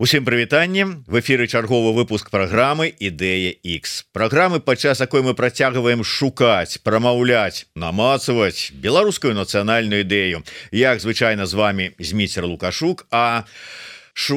Усім прывітанне, в эфіры чарговы выпуск праграмы Ідэя X. Праграмы, падчас якой мы працягваем шукаць, прамаўляць, намацаваць беларускую нацыянальную ідэю. Як звычайна з вами Зміцер Лукашук,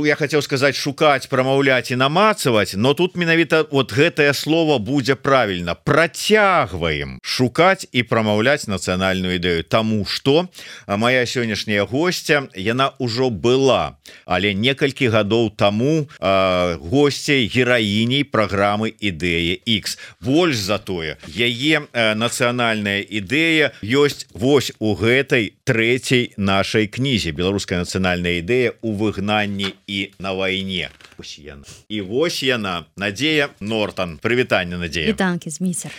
я хотел сказать шукаць, прамаўляць і намацаваць, но тут менавіта вот гэтае слово будзе правильно. Працягваем шукаць і прамаўляць нацыянальную ідэю, таму што моя сённяшняя гостья, яна ўжо была, але некалькі гадоў таму госцей, гераіней праграмы Ідэя X. Больш за тое, яе нацыянальная ідэя ёсць вось у гэтай трэцяй нашай кнізе «Беларуская нацыянальная ідэя у выгнанні і на вайне». І вось яна, Надзея Нортан. Прывітанне, Надзея. Вітанкі, Зміцер.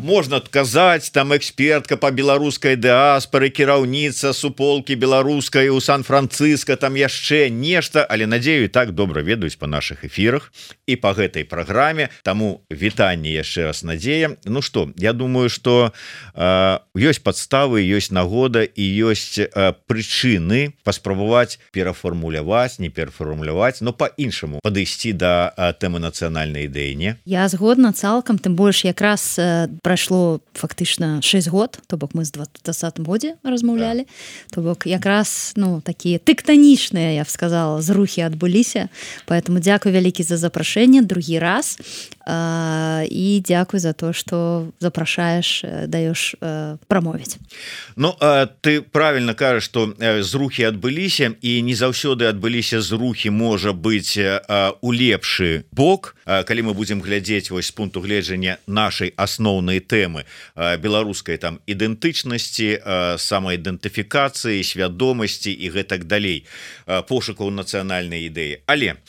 Можна казаць, там экспертка по беларускай дыаспары, кіраўніца суполкі беларускай у Сан-Франциско, там яшчэ нешта, але Надзею і так добра ведаюць па нашых эфірах і па гэтай праграме, таму вітанне яшчэ раз, Надзея. Ну што, я думаю, што ёсць падставы, ёсць нагода і ёсць прычыны паспрабаваць перафармуляваць, не перафармуляваць, но па-іншаму падысці да тэмы нацыянальнай ідэі, не? Я згодна цалкам, тым больш якраз прайшло фактычна 6 год, то бок мы з 2020 годзе размаўлялі, то бок якраз, такія тэктанічныя, я б сказала, зрухі адбыліся, поэтому дзякуй вялікі за запрашэнне другі раз і дзякуй за то, што запрашаеш, даеш прамовіць. Ты правильно кажаш, што зрухі адбыліся і не заўсёды адбыліся зрухі, можа быць, у лепшы бок, калі мы будзем глядзець вось з пункту гледжання нашай асноўнай тэмы беларускай там ідэнтычнасці, самаідэнтыфікацыі, свядомасці і гэтак далей, пошукаў нацыянальнай ідэі. Але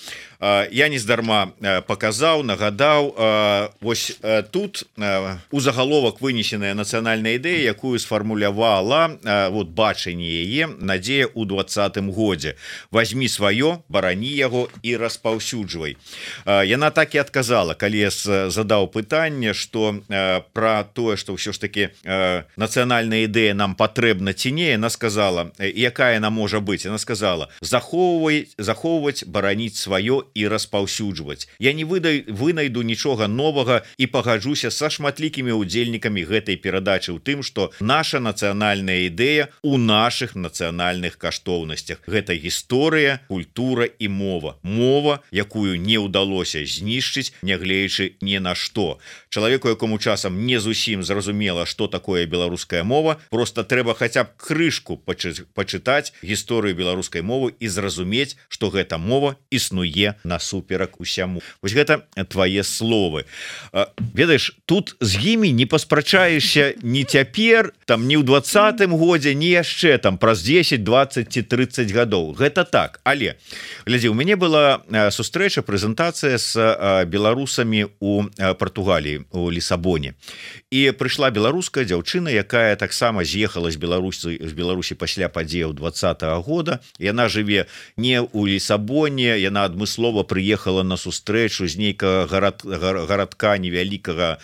я нездарма паказаў, нагадаў, вось тут у загаловак вынесеная нацыянальная ідэя, якую сфармулявала вот бачанне яе Надзея ў 2020 годзе. Вазьмі сваё, барані яго і распаўсюджвай. Яна так і адказала, калі я задаў пытанне, што пра тое, што ўсё ж таки нацыянальная ідэя нам патрэбна ці не, яна сказала, якая яна можа быць. Яна сказала: захоўваць, бараніць сваё і распаўсюджваць. Я не вынайду нічога новага і пагаджуся са шматлікімі удзельнікамі гэтай перадачы ў тым, што наша нацыянальная ідэя у нашых нацыянальных каштоўнасцях. Гэта гісторыя, культура і мова. Мова, якую не ўдалося знішчыць, нягледзячы ні на што. Чалавеку, якому часам не зусім зразумела, што такое беларуская мова, просто трэба хаця б крышку пачытаць гісторыю беларускай мовы і зразумець, што гэта мова існуе насуперак усяму. Вось гэта твае словы. Ведаеш, тут з імі не паспрачаешся ні цяпер, там ні ў 20-м годзе, ні яшчэ там праз 10, 20 ці 30 гадоў. Гэта так. Але, глядзі, у мяне была сустрэча, прэзентацыя з беларусамі у Партугаліі, у Лісабоне. І прыйшла беларуская дзяўчына, якая таксама з'ехала з Беларусі пасля падзеяў 20-го года. Яна жыве не ў Лісабоне, яна адмыслова прыехала на сустрэчу з нейкага гарадка невялікага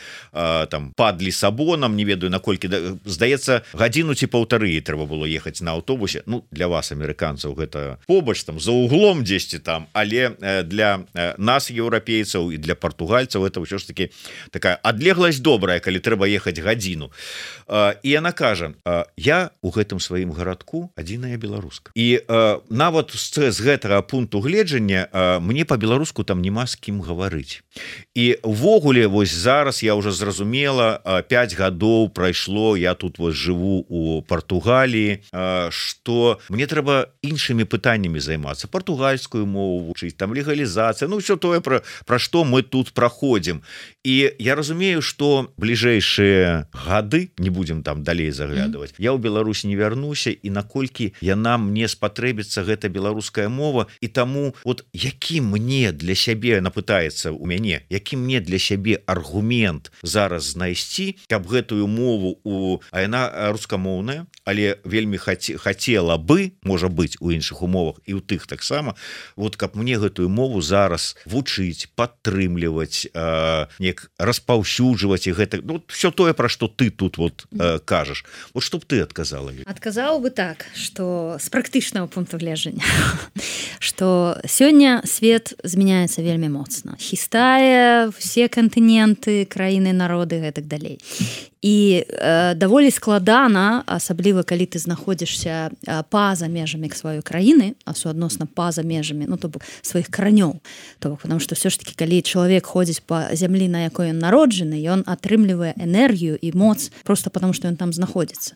там пад Лісабонам, не ведаю наколькі, здаецца, гадзіну ці паўтары трэба было ехаць на аўтобусе. Для вас, амерыканцаў, гэта побач там за углом дзесьці там, але для нас, еўрапейцаў, і для партугальцаў это ўсё ж таки такая адлегласць добрая, калі трэба ехаць гадзіну. І яна кажа: я у гэтым сваім гарадку адзіная беларуска. І нават з гэтага пункту гледжання мне по-беларуску там няма з кім гаварыць. І увогуле вось зараз я уже зразумела, 5 гадоў прайшло, я тут вось жыву у Партугаліі, што мне трэба іншымі пытаннямі займацца, партугальскую мову вучыць, там легалізацыя, ўсё тое, пра што мы тут праходзім. І я разумею, што бліжэйшыя гады, не будзем там далей заглядываць, я ў Беларусь не вярнуся, і наколькі яна мне спатрэбіцца, гэта беларуская мова, і таму вот якім мне для сябе напытаецца у мяне, які мне для сябе аргумент зараз знайсці, каб гэтую мову а яна рускамоўная, але вельмі хацела бы, можа быць у іншых умовах і ў тых таксама, вот каб мне гэтую мову зараз вучыць, падтрымліваць, неяк распаўсюджваць і гэта, ну, все тое, пра што ты тут вот кажаш. Вот што б ты адказала? Адказаў бы так, што з практычнага пункту гледжання, што сёння свет змяняецца вельмі моцна. Хістае все кантыненты, краіны, народы, гэтак далей. І даволі складана, асабліва калі ты знаходзішся па-за межамі сваёй краіны, а суадносна па-за межамі, ну, то бок сваіх каранёў. То бок, потому што ўсё ж таки, калі чалавек ходзіць па зямлі, на якой ён народжаны, ён атрымлівае энергію і моц просто потому, што ён там знаходзіцца.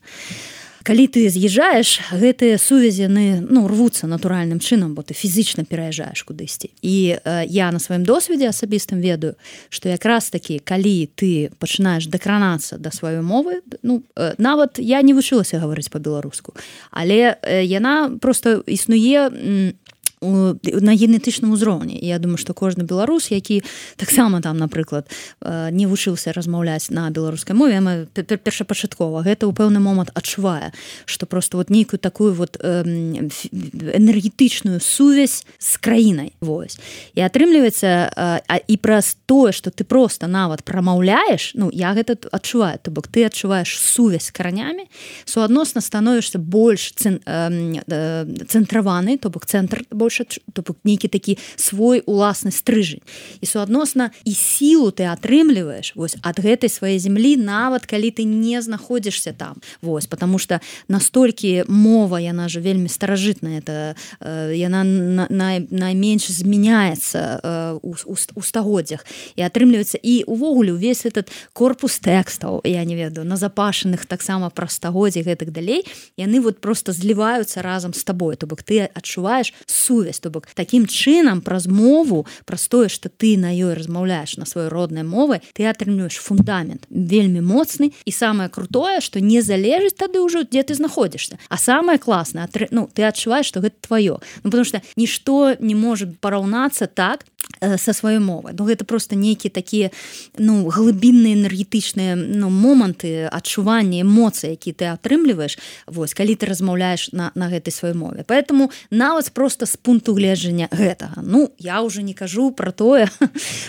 Калі ты з'язджаеш, гэтыя сувязі, ну, рвуцца натуральным чынам, бо ты фізічна пераязджаеш кудысьці. І я на сваім досведзе асабістым ведаю, што якраз такі, калі ты пачынаеш дакранацца да сваёй мовы, ну, нават я не вучылася гаварыць па-беларуску, але яна проста існуе на генетычным узроўні. Я думаю, што кожны беларус, які таксама там, напрыклад, не вучыўся размаўляць на беларускай мове, першапачаткова гэта ў пэўны момант адчувае, што просто вот нейкую такую вот энергетычную сувязь з краінай. Вось. І атрымліваецца, і праз тое, што ты просто нават прамаўляеш, ну, я гэта адчуваю, то бок ты адчуваеш сувязь з каранямі, суадносна становішся больш цэнтраваны, то бок цэнтр больш, то бок нейкі такі свой уласны стрыжань. І суадносна і сілу ты атрымліваеш вось ад гэтай сваёй зямлі, нават калі ты не знаходзішся там. Вось, потому што настолькі мова, яна же вельмі старажытная, это яна найменш змяняецца у стагоддзях. І атрымліваецца і увогуле увесь этот корпус тэкстаў, я не ведаю, назапашаных таксама праз стагоддзі гэтак далей, яны вот просто зліваюцца разам з табой, то бок ты адчуваеш сувязь, то бок такім чынам праз мову, праз тое, што ты на ёй размаўляеш на сваёй роднай мове, ты атрымліваеш фундамент вельмі моцны, і самае крутое, што не залежыць тады ўжо, дзе ты знаходзішся. А самае класнае, ну, ты адчуваеш, што гэта тваё. Ну, потому што нішто не можа параўнацца так са сваёй мовай. Ну, гэта просто нейкія такія, ну, глыбінныя энергетычныя, ну, моманты адчування, эмоцыі, які ты атрымліваеш, вось, калі ты размаўляеш на гэтай сваёй мове. Поэтому нават просто з пункту гледжання гэтага. Ну, я ўжо не кажу пра тое,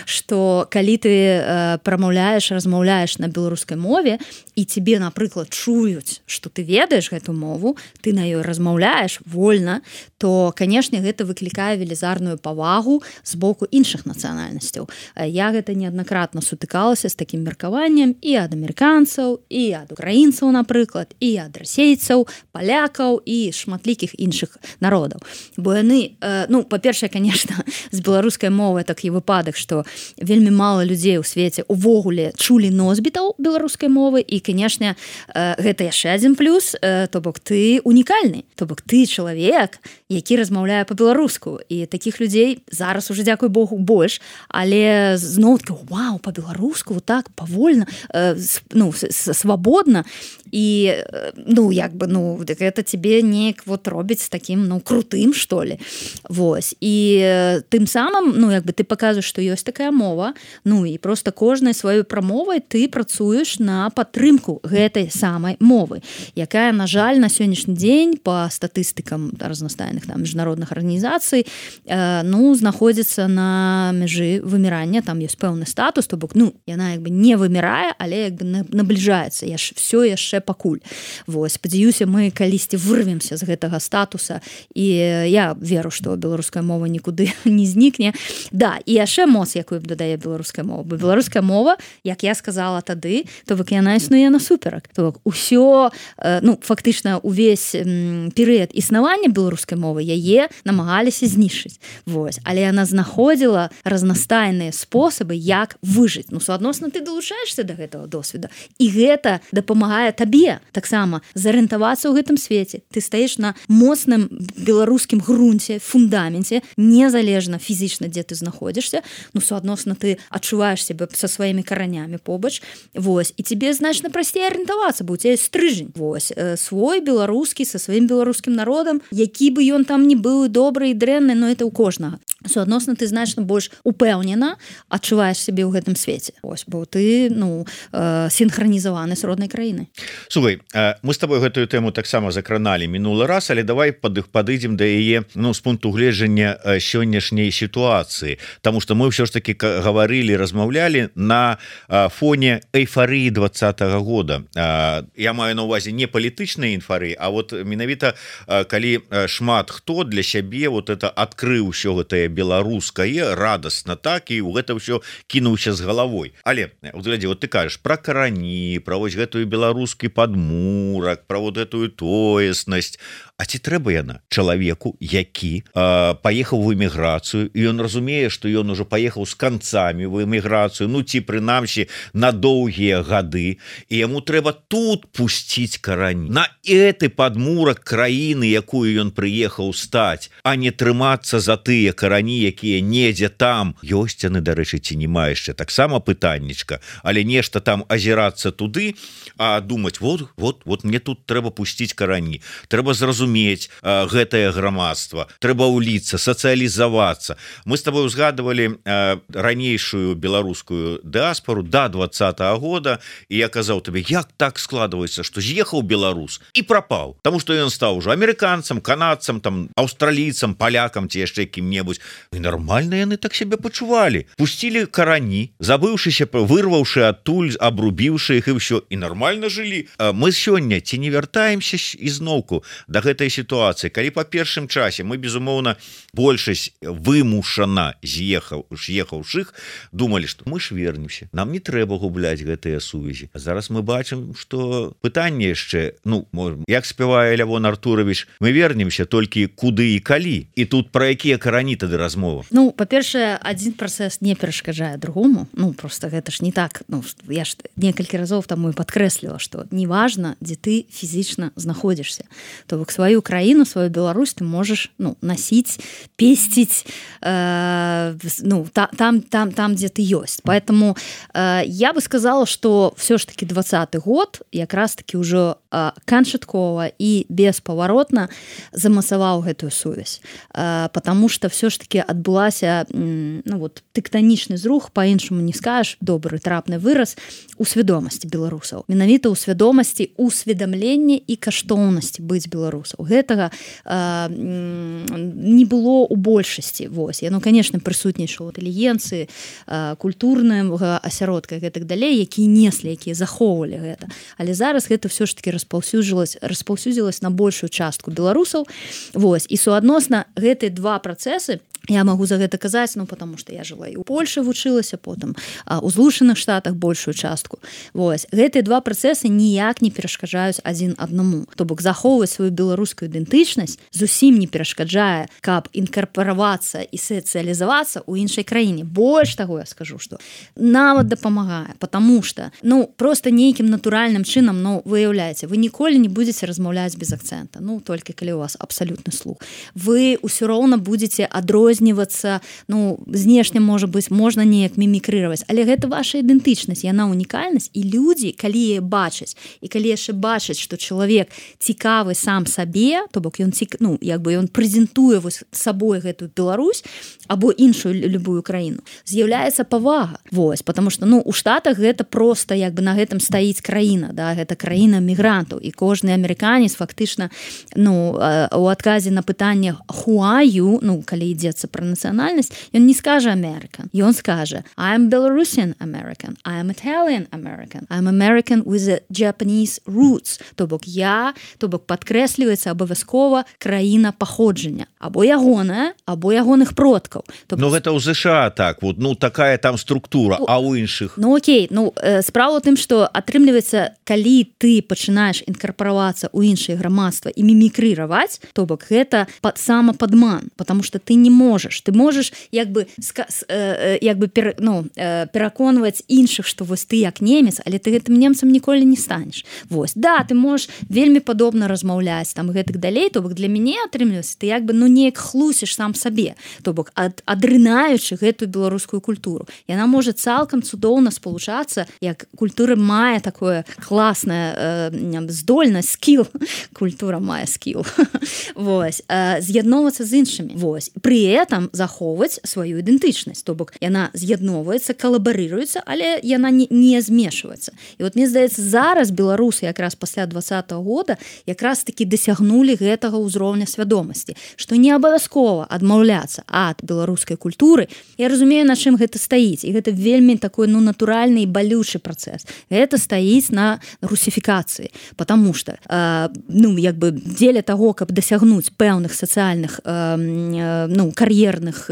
што калі ты прамаўляеш, размаўляеш на беларускай мове, і тебе, напрыклад, чуюць, што ты ведаеш гэту мову, ты на ёй размаўляеш вольна, то, канешне, гэта выклікае велізарную павагу з боку іншых нацыянальнасцяў. Я гэта неаднакратна сутыкалася з такім меркаваннем і ад амерыканцаў, і ад украінцаў, напрыклад, і ад расейцаў, палякаў і шматлікіх іншых народаў. Бо яны, ну, па-першае, конечно, з беларускай мовы такі выпадак, што вельмі мала людзей у свеце увогуле чулі носьбітаў беларускай мовы, і, канешне, гэта яшчэ адзін плюс, то бок ты унікальны, то бок ты чалавек, які размаўляе па-беларуску, і такіх людзей зараз уже, дзякуй Богу, больш, але зноў-таки, вау, па-беларуску, вот так, павольна, ну, свабодна, і, ну, як бы, ну, гэта тебе неяк вот робіць таким, ну, крутым, што ли. Вось. І тым самым, ну, як бы ты паказваеш, што ёсць такая мова, ну, і просто кожнай сваёй прамовай ты працуеш на падтрымку гэтай самай мовы, якая, на жаль, на сённяшні дзень па статыстыкам разнастайных там міжнародных арганізацый, ну, знаходзіцца на мяжы вымірання, там ёсць пэўны статус, то бок, ну, яна як бы не вымірае, але як бы набліжаецца, все яшчэ пакуль. Вось, спадзяюся, мы калісьці вырвемся з гэтага статуса, і я веру, што беларуская мова нікуды не знікне. Да, і яшчэ моц, якую дадае беларуская мова. Бо беларуская мова, як я сказала тады, то бок яна існуе насуперак. То бок усё, ну, фактычна увесь перыяд існавання беларускай мовы яе намагаліся знішчыць. Вось, але яна знаходзіла разнастайныя спосабы, як выжыць. Ну, суадносна ты далучаешься да гэтага досведа, і гэта дапамагае табе таксама зарыентавацца ў гэтым свеце. Ты стаіш на моцным беларускім грунце, фундаменце, незалежна фізічна, дзе ты знаходзішся, ну, суадносна ты адчуваеш сябе са сваімі каранямі побач, вось, і тебе значна прасцей арыентавацца, бо у цябе стрыжань. Вось, свой беларускі са сваім беларускім народам, які бы ён там не быў добры і дрэнны, но это ў кожнага. суадносна ты значна больш упэўнена адчуваеш сябе ў гэтым свеце. Ось, бо ты синхронізаваны з роднай краіны. Слухай, мы з тобой гэтую тэму таксама закраналі мінулы раз, але давай падыдзем да яе з пункту гледжання сённяшняй сітуацыі, таму што мы ўсё ж таки гаварылі, размаўлялі на фоне эйфарыі 20-го года. Я маю на увазе не палітычнай эйфарыі, а вот менавіта калі шмат хто для сябе вот это адкрыў усё гэтае беларускае радасна, так, і ў гэта ўсё кінуўся з галавой. Але глядзі, вот ты кажаш пра карані, пра вось гэтую беларускі падмурак, пра вот гэтую тоеснасць. А ці трэба яна чалавеку, які паехаў в эміграцыю, і ён разумее, што ён ужо паехаў з канцамі в эміграцыю, ну ці прынамсі на доўгія гады, і яму трэба тут пусціць карані, на гэты падмурак краіны, якую ён прыехаў стаць, а не трымацца за тыя карані, якія недзе там ёсць яны, дарэчы, ці няма яшчэ таксама пытаннічка, але нешта там азірацца туды, а думаць вот мне тут трэба пусціць карані, трэба зразумець гэтае грамадства, трэба ўліцца, сацыялізавацца. Мы з тобой узгадывалі ранейшую беларускую дыаспору до 20-го года, і я казаў табе, як так складваецца, што з'ехаў беларус і прапаў, таму што ён стаў ужо амерыканцам, канадцам, там аўстралійцам, палякам ці яшчэ кім-небудзь. І нармальна яны так сябе пачувалі. Пусцілі карані, забыўшыся, вырваўшы адтуль, абрубіўшы іх і ўсё, і нармальна жылі. Мы сёння ці не вяртаемся ізноўку да гэтай сітуацыі, калі па першым часе мы, безумоўна, большасць вымушана з'ехаўшых думалі, што мы ж вернемся, нам не трэба губляць гэтыя сувязі. А зараз мы бачым, што пытанне яшчэ, як спявае Лявон Артурович, мы вернемся толькі куды і калі, і тут пра якія карані тады размова? Па-першае, адзін працэс не перашкаджае другому, просто гэта ж не так, я ж некалькі разоў таму і падкрэсліла, што неважна, дзе ты фізічна знаходзішся, то бок сваю краіну, сваю Беларусь ты можаш насіць, песціць там, дзе ты ёсць. Поэтому я бы сказала, што все ж таки 20-й год якраз таки ўжо канчаткова і беспаваротна замасаваў гэтую сувязь, потому что все ж таки адбылася тэктанічны зрух, па-іншаму не скажаш, добры трапны выраз у свядомасці беларусаў. Менавіта ў свядомасці усведамлення і каштоўнасці быць беларусаў. Гэтага не было ў большасці. Яно, конечно, прысутнічала ў інтэлігенцыі, культурнага асяродка і гэтак далей, якія неслі, якія захоўвалі гэта. Але зараз гэта ўсё ж таки распаўсюдзілася на большую частку беларусаў. І суадносна гэтыя два працэсы, я магу за гэта казаць, потому что я жыла і ў Польшы вучылася, потым у Злучаных Штатах большую частку. Гэтыя два працэсы ніяк не перашкаджаюць адзін аднаму. То бок захоўваць сваю беларускую ідэнтычнасць зусім не перашкаджае, каб інкарпаравацца і сацыялізавацца ў іншай краіне. Больш таго я скажу, што нават дапамагае, потому что просто нейкім натуральным чынам, выяўляеце, вы ніколі не будзеце размаўляць без акцэнта, толькі калі у вас абсалютны слух. Вы ўсё роўна будзеце адрознівацца, знешне, можа быць, можна неяк мімікрыраваць, але гэта ваша ідэнтычнасць, яна унікальнасць, і людзі, калі яе бачаць, і калі яшчэ бачаць, што чалавек цікавы сам сабе, то бок ён прэзентуе сабой гэтую Беларусь або іншую любую краіну, з'яўляецца павага. Потому што у Штатах гэта проста на гэтым стаіць краіна, гэта краіна мігрантаў, і кожны амерыканец фактычна у адказе на пытанне who are you, калі ідзецца пра нацыянальнасць, ён не скажа American, ён скажа I'm Belarusian American, I'm Italian American, I'm American with a Japanese roots, то бок падкрэсліваецца абавязкова краіна паходжання, або ягоная, або ягоных продкаў. Гэта ў ЗША так, такая там структура, а ў іншых? Окей, справа ў тым, што атрымліваецца, калі ты пачынаеш інкарпаравацца ў іншыя грамадства і мімікрыраваць, то бок гэта самападман, потому что ты не можаш, ты можаш пераконваць іншых, што ты як немец, але ты гэтым немцам ніколі не станеш. Ты можаш вельмі падобна размаўляць там гэтак далей, то бок для мяне атрымліваецца, ты неяк хлусіш сам сабе, то бок адрынаючы гэтую беларускую культуру. Яна можа цалкам цудоўна спалучацца, як культура мае такое класнае здольнасць, скіл, культура мае скіл, з'ядноўвацца з іншымі. Пры гэтым захоўваць сваю ідэнтычнасць, то бок яна з'ядноўваецца, калабарыруецца, але яна не змешваецца. І вот мне здаецца, зараз беларусы якраз пасля 2020 года якраз таки дасягнулі гэтага ўзроўня свядомасці, што не абавязкова адмаўляцца ад беларускай культуры. Я разумею, на чым гэта стаіць, і гэта вельмі такой натуральны і балючы працэс. Гэта стаіць на русіфікацыі, потому что дзеля того, каб дасягнуць пэўных сацыяльных кар'ерных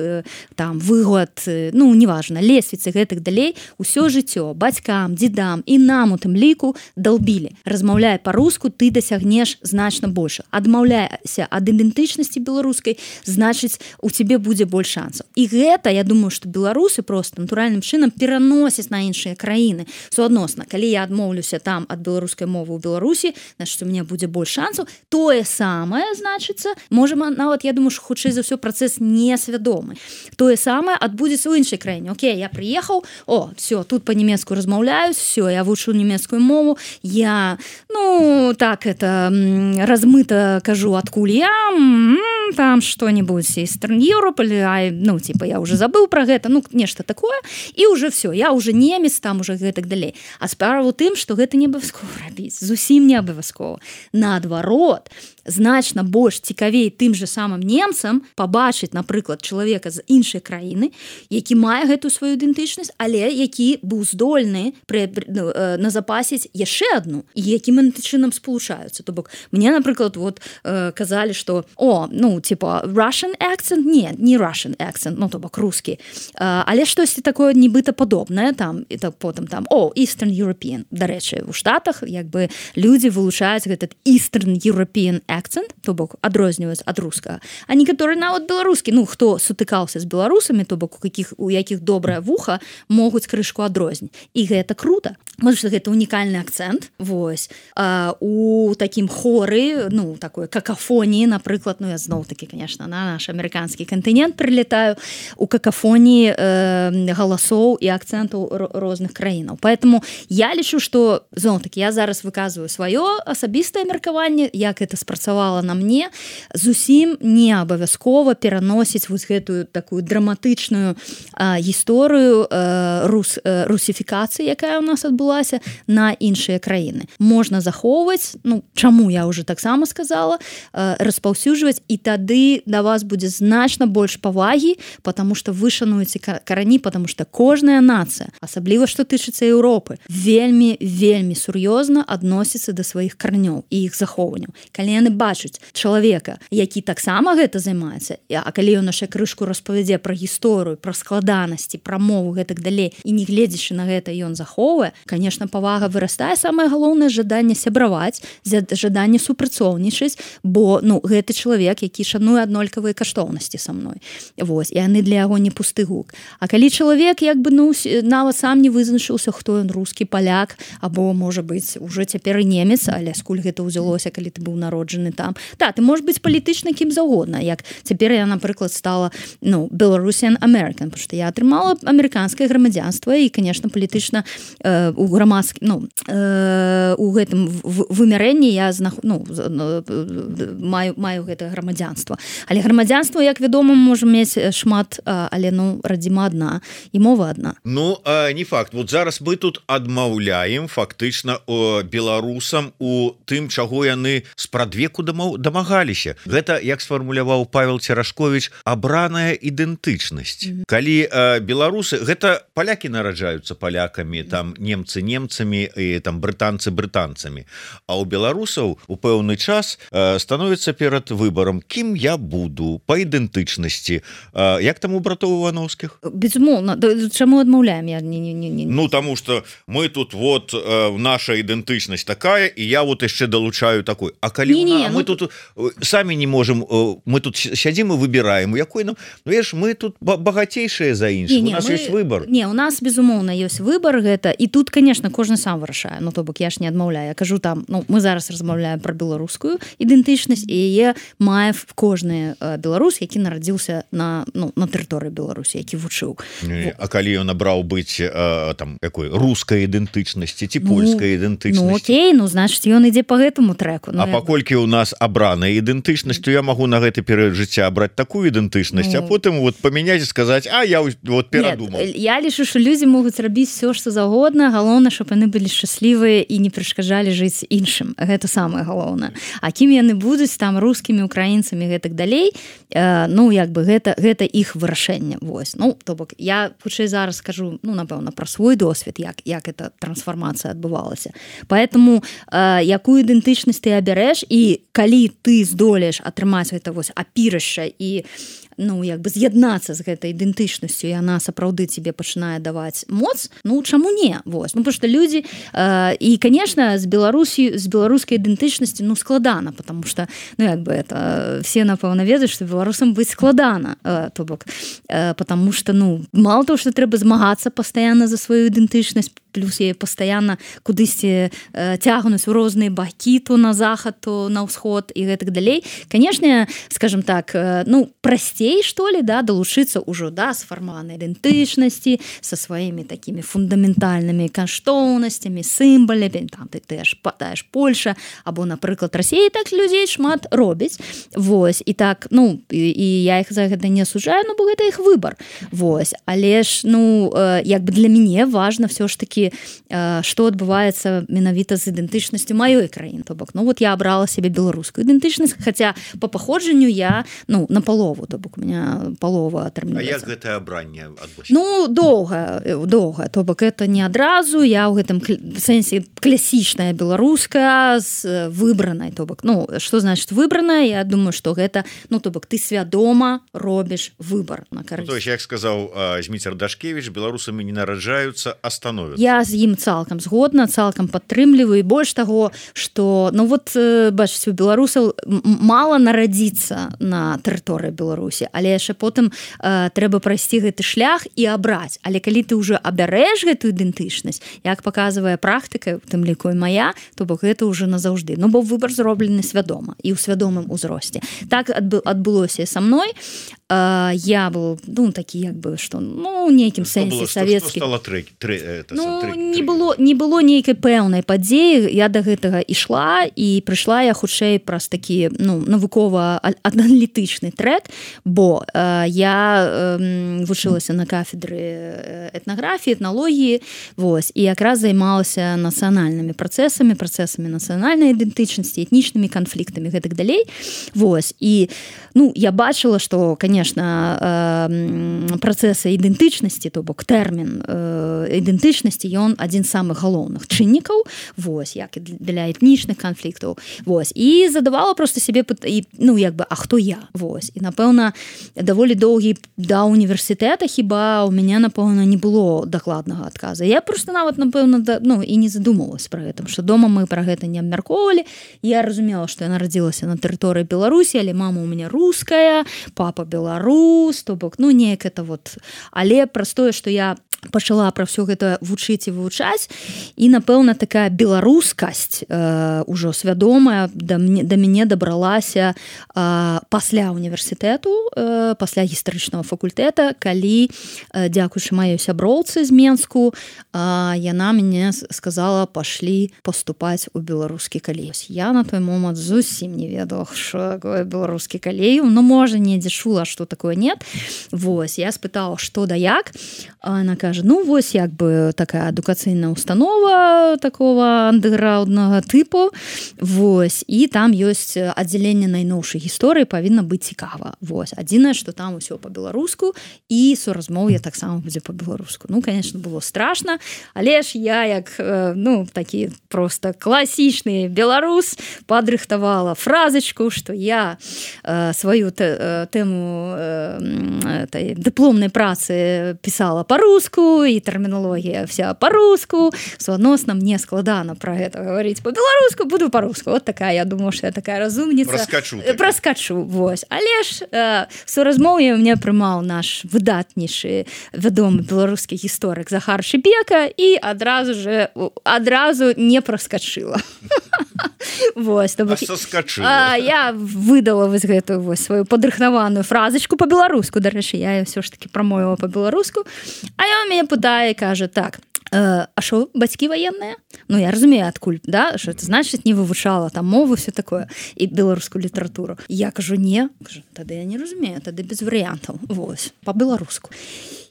там выгод, неважна, лесвіцы, гэтых далей, усё жыццё бацькам, дзедам і нам у тым ліку далбілі. Размаўляй па-руску, ты дасягнеш значна больш. Адмаўляйся ад ідэнтычнасці беларускай, значыць, у цябе будзе больш шансаў. І гэта, я думаю, што беларусы просто натуральным чынам пераносяць на іншыя краіны. Суадносна, калі я адмоўлюся там ад беларускай мовы ў Беларусі, значыць, у мяне будзе больш шансаў. Тое самае, значыцца, можа, нават, я думаю, што хутчэй за ўсё працэс несвядомы. Тое самае адбудзецца ў іншай краіне. Окей, я прыехаў, все, тут па-нямецку размаўляюсь, все, я вучу нямецкую мову, я, так это размыта кажу, адкуль я, там что-нибудь Eastern Europe, я уже забыл про гэта, нешта такое, і уже все, я уже немец, там уже гэтак далей. А справа ў тым, што гэта не абавязкова рабіць, зусім не абавязкова. Наадварот, значна больш цікавей тым же самым немцам пабачыць, напрыклад, чалавека з іншай краіны, які мае гэтую сваю ідэнтычнасць, але які быў здольны назапасіць яшчэ адну, і якім чынам спалучаюцца. То бок, мне, напрыклад, казалі, што Russian accent? Не Russian accent, то бок рускі. Але штосьці такое нібыта падобнае, там, і потым там, Eastern European. Дарэчы, у Штатах, людзі вылучаюць гэтый Eastern European accent, то бок, адрозніваюць ад рускага. А некаторы нават беларускі, хто сутыкаўся з беларусамі, то бок, у якіх добрае вуха, могуць крышку адрозніць. І гэта круто, потому что гэта унікальны акцент. Вось. У такім хоры, такой какафоніі, напрыклад, я зноў-таки, конечно, на наш амерыканскі кантынент прилетаю, у какафоніі галасоў і акцентаў розных краінаў. Поэтому я лічу, што, зноў-таки, я зараз выказваю сваё асабістае меркаванне, як это спрацавала на мне, зусім не абавязкова пераносіць вось гэтую такую драматычную гісторыю русіфікацыі, якая ў нас адбылася, на іншыя краіны. Можна захоўваць, чаму я уже таксама сказала, распаўсюджваць, і тады да вас будзе значна больш павагі, потому что вы шануеце карані, потому что кожная нацыя, асабліва што тычыцца Еўропы, вельмі сур'ёзна адносіцца да сваіх карнёў і іх захоўванняў. Калі яны бачаць чалавека, які таксама гэта займаецца, а калі ён яшчэ крышку распавядзе пра гісторыю, пра складанасці, пра мову, гэтак далей, і не гледзячы на гэта ён захоўвае, конечно, павага вырастае, самае галоўнае жаданне сябраваць, жаданне супрацоўнічаць, бо гэты чалавек, які шануе аднолькавыя каштоўнасці са мной. Вось, і яны для яго не пусты гук. А калі чалавек нават сам не вызначыўся, хто ён, рускі, паляк, або, можа быць, уже цяпер і немец, але скуль гэта ўзялося, калі ты быў народжаны там. Ты можаш быць палітычна кім заўгодна, як цяпер я, напрыклад, стала Belarusian American, потому што я атрымала амерыканскае грамадзянства і, конечно, палітычна у грамадскім, у гэтым вымярэнні я маю гэтае грамадзянства. Але грамадзянства, як вядома, можа мець шмат, але радзіма адна і мова адна. Не факт. Вот зараз мы тут адмаўляем фактычна беларусам у тым, чаго яны спрадвеку дамагаліся. Гэта, як сфармуляваў Павел Церашковіч, абраная ідэнтычнасць. Калі беларусы, гэта палякі нараджаюцца палякамі, там немцы немцамі і там брытанцы брытанцамі. А у беларусаў у пэўны час становіцца перад выбарам, кім я буду па ідэнтычнасці. Як там у братоў Івановскіх? Безумоўна. Чаму адмаўляем? Таму што мы тут наша ідэнтычнасць такая, і я яшчэ далучаю такой. А калі мы тут самі не можам, мы тут сядзім і выбіраем, якой нам, мы тут багацейшыя за іншых, у нас ёсць выбар. У нас, безумоўна, ёсць выбар гэта, і тут, конечно, кожны сам вырашае, ну то бок я ж не адмаўляю, я кажу там, ну мы зараз размаўляем про беларускую ідэнтычнасць, і яе мае кожны беларус, які нарадзіўся на тэрыторыі Беларусі, які вучыў. А калі ён набраў быць там якой рускай ідэнтычнасці ці польскай ідэнтычнасці? Ну окей, ну значыць ён ідзе по гэтаму трэку. А паколькі у нас абраная ідэнтычнасць, то я магу на гэты перыяд жыцця абраць такую ідэнтычнасць, а потым вот памяняць і сказаць, а я вот перадумаў. Я лічу, што людзі могуць рабіць все што заўгодна, галоўнае, щоб яны былі шчаслівыя і не перашкаджалі жыць іншым. Гэта самае галоўнае. А кім яны будуць там рускімі, украінцамі гэтак далей, ну як бы гэта іх вырашэнне. Вось. Ну то бок я хутчэй зараз скажу, ну напэўна пра свой досвед, як эта трансфармацыя адбывалася. Поэтому якую ідэнтычнасць ты абярэш, і калі ты здолееш атрымаць гэта вось апірышча і ну як бы з'яднацца з гэтай ідэнтычнасцю, і яна сапраўды тебе пачынае даваць моц, ну чаму не? Вось. Ну потому что людзі і конечно з беларускай ідэнтычнасці ну складана, потому что ну як бы это все напэўна ведаюць, што беларусам быць складана, то бок потому что ну мало того, что трэба змагацца пастаянна за сваю ідэнтычнасць, плюс яе пастаянна кудысьці цягнуць у розныя бакі, то на захад, то на ўсход і гэтак далей. Конечно, скажем так, ну прасцей что ли, да, далучыцца ўжо да сфармаванай ідэнтычнасці са сваімі такімі фундаментальнымі каштоўнасцямі, сімбаламі, там ты ж падаеш Польша або напрыклад Расія, так людзей шмат робіць. Вось і так, ну і я іх за гэта не асуджаю, ну бо гэта іх выбар. Вось, але ж ну як бы для мяне важна все ж таки, што адбываецца менавіта з ідэнтычнасцю маёй краіны. То бок, ну вот я абрала себе беларускую ідэнтычнасць, хаця по паходжанню я ну на палову, то бок у меня полова атрымліваецца. А як гэтае абранне адбылося? Ну доўга, то бок это не адразу, я ў гэтым сэнсе класічная беларуская з выбранай, то бок, ну што значыць выбраная? Я думаю, што гэта, ну то бок ты свядома робіш выбар на карысць. Ну, то есть, як сказаў Зміцер Дашкевіч, беларусамі не нараджаюцца, а становяцца. Я з ім цалкам згодна, цалкам падтрымліваю, і больш таго, што ну вот бачыце, у беларусаў мала нарадзіцца на тэрыторыі Беларусі, але яшчэ потым трэба прайсці гэты шлях і абраць. Але калі ты ўжо абярэш гэтую ідэнтычнасць, як паказвае практыка, у тым ліку і мая, то бок гэта ўжо назаўжды. Ну бо выбар зроблены свядома і ў свядомым узросце. Так адбылося са мной. Я был, ну, такі як бы, што, ну, нейкім сэнсе савецкі. Што стала Не было нейкай пэўнай падзеі, я да гэтага ішла, і прыйшла я хутчэй праз такі, ну, навукова-аналітычны трэк, бо я вучылася на кафедры этнаграфіі, этналогіі, вось, і якраз займалася нацыянальнымі працэсамі нацыянальнай ідэнтычнасці, этнічнымі канфліктамі, гэтак далей, вось, і, ну, я бачыла, што, конечно, працэсы ідэнтычнасці, то бок тэрмін ідэнтычнасці, ён адзін з самых галоўных чыннікаў, вось, як і для этнічных канфліктаў, вось, і задавала проста сябе, ну, як бы, а хто я, вось, і, напэўна, даволі доўгі да універсітэта, хіба у мяне, напэўна, не было дакладнага адказа. Я проста нават, напэўна, ну, і не задумалась пра гэта, што дома мы пра гэта не абмяркоўвалі. Я разумела, што я нарадзілася на тэрыторыі Беларусі, але мама у мяне руская, папа беларус, то бок, ну, неяк это вот. Але праз тое, што я пачала пра ўсё гэта вучыць і вывучаць, і, напэўна, такая беларускасць ужо свядомая да мяне дабралася пасля універсітэту, пасля гістарычнага факультэта, калі, дзякуючы маёй сяброўцы з Менску, яна мяне сказала, пашлі паступаць у беларускі калей. Я на той момант зусім не ведала, што такое беларускі калей, ну, можа, недзе чула, што такое нет. Вось, я спытала, што да як, она кажа, ну, вось, як бы такая адукацыйная установа такого андэграўднага тыпу, вось, і там ёсць аддзяленне найноўшай гісторыі, павінна быць цікава. Вось, адзінае, што там усё па-беларуску, і суразмоўе таксама будзе па-беларуску. Ну, конечно, было страшна, але ж я, як, ну, такі проста класічны беларус, падрыхтавала фразачку, што я сваю тэму дыпломнай працы пісала па-руску, по-руску, і тэрмінологія вся по-руску, суадносна мне складана пра гэта гаварыць по-беларуску, буду по-руску. Вот такая, я думаю, што я такая разумніца. Праскачу, вось. Але ж суразмоўе мне прымаў наш выдатнейшы, вядомы беларускі гісторык Захар Шыбека, і адразу не праскачыла. Вось, я выдала вось гэтую вось сваю падрыхнаваную фразачку по-беларуску, дарэчы, я ўсё ж таки прамовіла по-беларуску, а ён мяне пытае і кажа: так, а що, бацькі военные? Ну, я разумею, адкуль, да? Що это значит, не вывучала там мову, все такое, і беларускую літаратуру. Я кажу: не. Кажу: тады я не разумею, тады без варыянтаў. Вось, по-беларуску.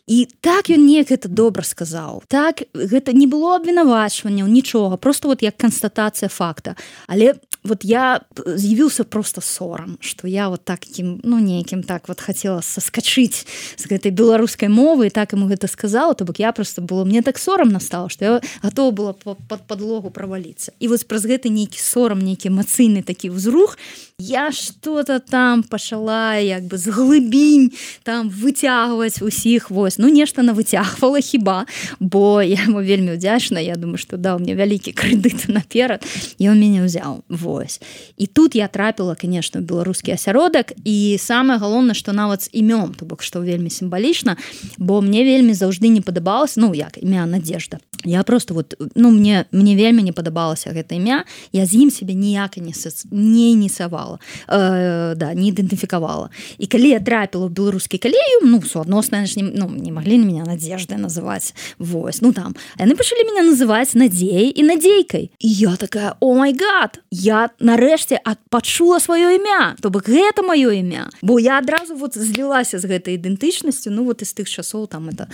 І так ён неяк гэта добра сказаў. Так, гэта не было абвінавачванняў, нічога, просто вот як канстатацыя факта. Але вот я з'явіўся просто сорам, што я вот такім, ну, нейкім так вот хацела саскачыць з гэтай беларускай мовы, і так яму гэта сказала, то бок я просто было, мне так сорамна стала, што я гатова была пад падлогу праваліцца. І вось праз гэты нейкі сорам, нейкі эмацыйны такі ўзрух, я что-то там пачала як бы з глыбінь там выцягваць усіх, вось, ну нешта навыцягвала хіба, бо я яму вельмі ўдзячна, я думаю, што даў мне вялікі крэдыт наперад, і он мяне ўзяў, вось. І тут я трапіла, конечно, ў беларускі асяродак, і самае галоўнае, што нават з імём, то бок што вельмі сімвалічна, бо мне вельмі заўжды не падабалася, ну як імя Надежда. Я просто вот, ну мне вельмі не падабалася гэта імя, я з ім сябе ніяк не ініцыявала, не ідэнтыфікавала. І калі я трапіла ў беларускі калегіум, ну суадносна, не маглі на меня Надеждай называць, вось, ну там, яны пачалі меня называць Надзеяй і Надзейкай. І я такая: о май гад, я нарэшце пачула сваё імя, то бок гэта маё імя, бо я адразу вот злілася з гэтай ідэнтычнасцю, ну вот з тых часоў, там это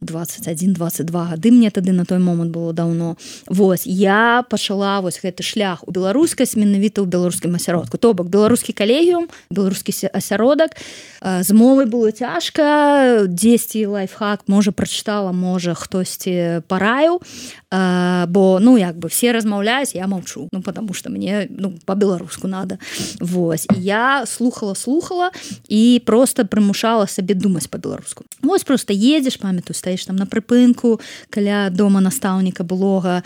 21-22 гады мне тады на той момант было даўно. Вось, я пачала вось гэты шлях у беларускасць менавіта ў беларускім асяродку. То бок беларускі калегіум, беларускі асяродак, з мовай было цяжка, дзесьці лайфхак, можа прачытала, можа хтосьці параіў, бо, ну, як бы все размаўляюць, я маўчу, ну, потому что мне, ну, по-беларуску надо. Вось, і я слухала і просто прымушала сабе думаць по-беларуску. Вось, просто едзеш, памятаю, стаіш там на прыпынку каля дома настаўніка былога,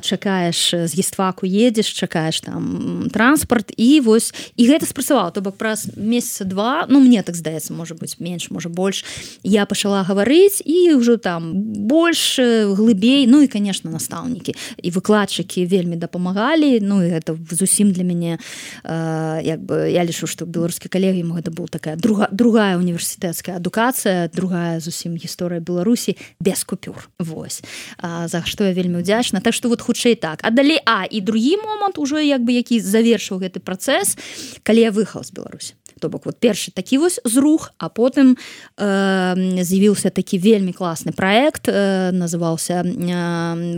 чакаеш, з гістфаку едзеш, чакаеш там транспарт, і вось, і гэта спрацавала, то бок праз месяца два, ну, мне так здаецца, можа быць менш, можа больш, я пачала гаварыць, і ўжо там больш, глыбей, ну, і, конечно, настаўнікі і выкладчыкі вельмі дапамагалі, ну, і гэта зусім для мяне, як бы, я лічу, што беларускі калегіум гэта была такая другая універсітэцкая адукацыя, другая зусім гісторыя Беларусі без купюр, вось, за што я вельмі ўдзячна, так што вот хутчэй так. А далей, і другі момант ужо, як бы, які завершыў гэты працэс, калі я выехала з Беларусі. То бок, вот першы такі вось зрух, а потым з'явіўся такі вельмі класны праект, называўся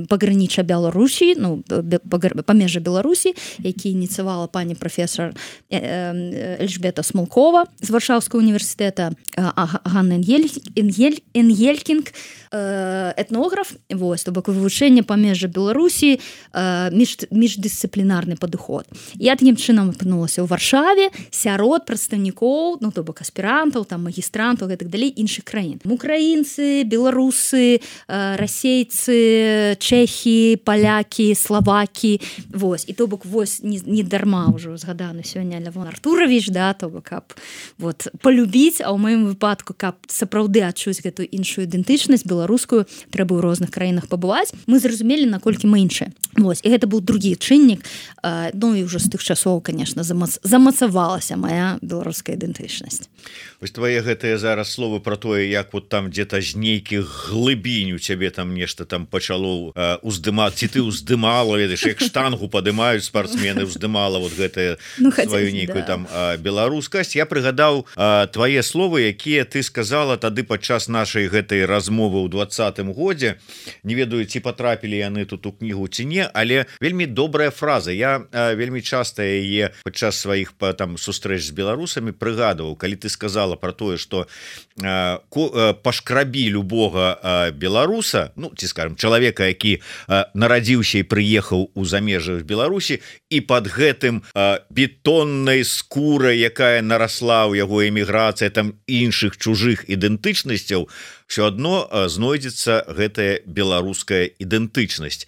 «Пагранічча Беларусі», ну, памежжа Беларусі, які ініцыявала пані прафесор Эльжбета Смолкова з Варшаўскага універсітэта, Ганна Энгелькінг, этнограф, вось, то бок вывучэнне памежжа Беларусі, міждысцыплінарны падыход. Я такім чынам апынулася ў Варшаве сярод прадстаўнікоў, ну, то бок аспірантаў, там, магістрантаў і так далей іншых краін. Украінцы, беларусы, расейцы, чэхі, палякі, славакі, вось. І то бок, вось, не дарма ўжо згаданы сёння Лявон Артурович, да, то бок, каб вот полюбіць, а ў маім выпадку, каб сапраўды адчуць гэтую іншую ідэнтычнасць беларускую, трэба ў розных краінах пабываць, мы зразумелі, наколькі мы іншыя. Вось, і гэта быў другі чыннік, ну і ўжо з тых часоў, конечно, замацавалася моя беларуская ідэнтычнасць. Вось твае гэтыя зараз словы про тое, як вот там где-то з нейкіх глыбінь у цябе там нешта там пачало уздымаць, ці ты уздымала, ведаеш, як штангу падымаюць спартсмены, уздымала вот гэтае, ну, сваю нейкую, да, там беларускасць. Я прыгадаў твае словы, якія ты сказала тады падчас нашай гэтай размовы ў 20-м годзе. Не ведаю, ці патрапілі яны тут у кнігу ці не, але вельмі добрая фраза. Я вельмі часта яе падчас сваіх там сустрэч з беларусамі прыгадываў, калі ты сказала про тое, што пашкрабі любога беларуса, ну, ці скажем, чалавека, які нарадзіўся і прыехаў у замежжах Беларусі, і пад гэтым бетоннай скурай, якая нарасла ў яго эміграцыя там іншых чужых ідэнтычнасцяў, все адно знойдзецца гэтая беларуская ідэнтычнасць.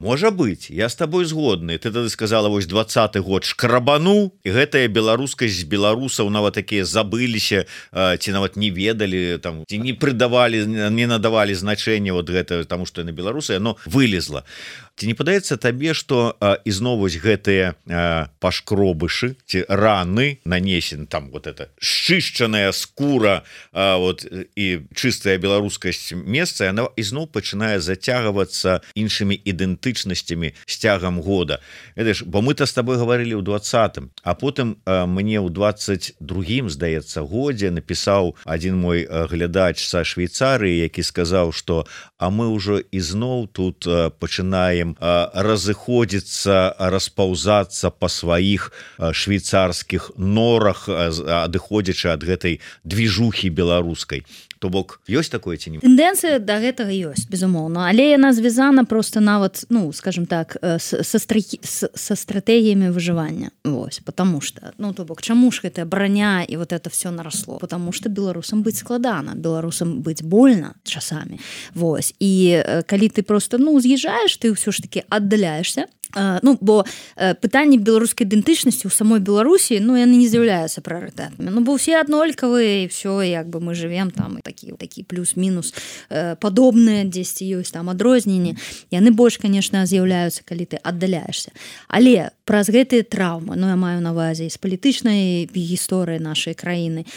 Можа быть, я с тобой згодны. Ты тады сказала, вось 20-й год шкрабануў, і гэтая беларускасць беларусаў нават такія забыліся, ці нават не ведалі, там, ці не прыдавалі, не надавалі значэння вот гэта, таму што яны беларусы, яно вылезла. Ці не падаецца табе, што ізноў вось гэтыя пашкробышы ці раны нанесены, там вот это шчышчаная скура вот, і чыстая беларускасць месца, яна ізноў пачынае зацягвацца іншымі ідэнтычнасцямі з цягам года. Ведаеш, бо мы-то з табой гаварылі ў 20-м, а потым мне ў 22-м, здаецца, годзе напісаў адзін мой глядач са Швейцарыі, які сказаў, што а мы ўжо ізноў тут пачынаем разыходзіцца, распаўзацца па сваіх швейцарскіх норах, адыходзячы ад гэтай движухі беларускай. То бок ёсць такое ці не? Тэндэнцыя да гэтага ёсць, безумоўна, але яна звязана просто нават, ну, скажем так, са стратэгіямі выжывання. Вось, потому что, ну, то бок, чаму ж гэтая броня і вот это все наросло? Потому что беларусам быць складана, беларусам быць больно часамі. Вось, і калі ты просто, ну, з'язджаеш, ты ўсё ж таки аддаляешься. Ну, бо пытанні беларускай ідэнтычнасці ў самой Беларусі, ну, яны не з'яўляюцца прыярытэтнымі. Ну, бо ўсе аднолькавыя, і все, як бы мы живем там, і такі плюс-мінус падобныя, дзесьці ёсць там адрозненні. Яны больш, конечно, з'яўляюцца, калі ты аддаляешься. Але праз гэтыя траўмы, ну, я маю на ўвазе з палітычнай гісторыі нашай краіны,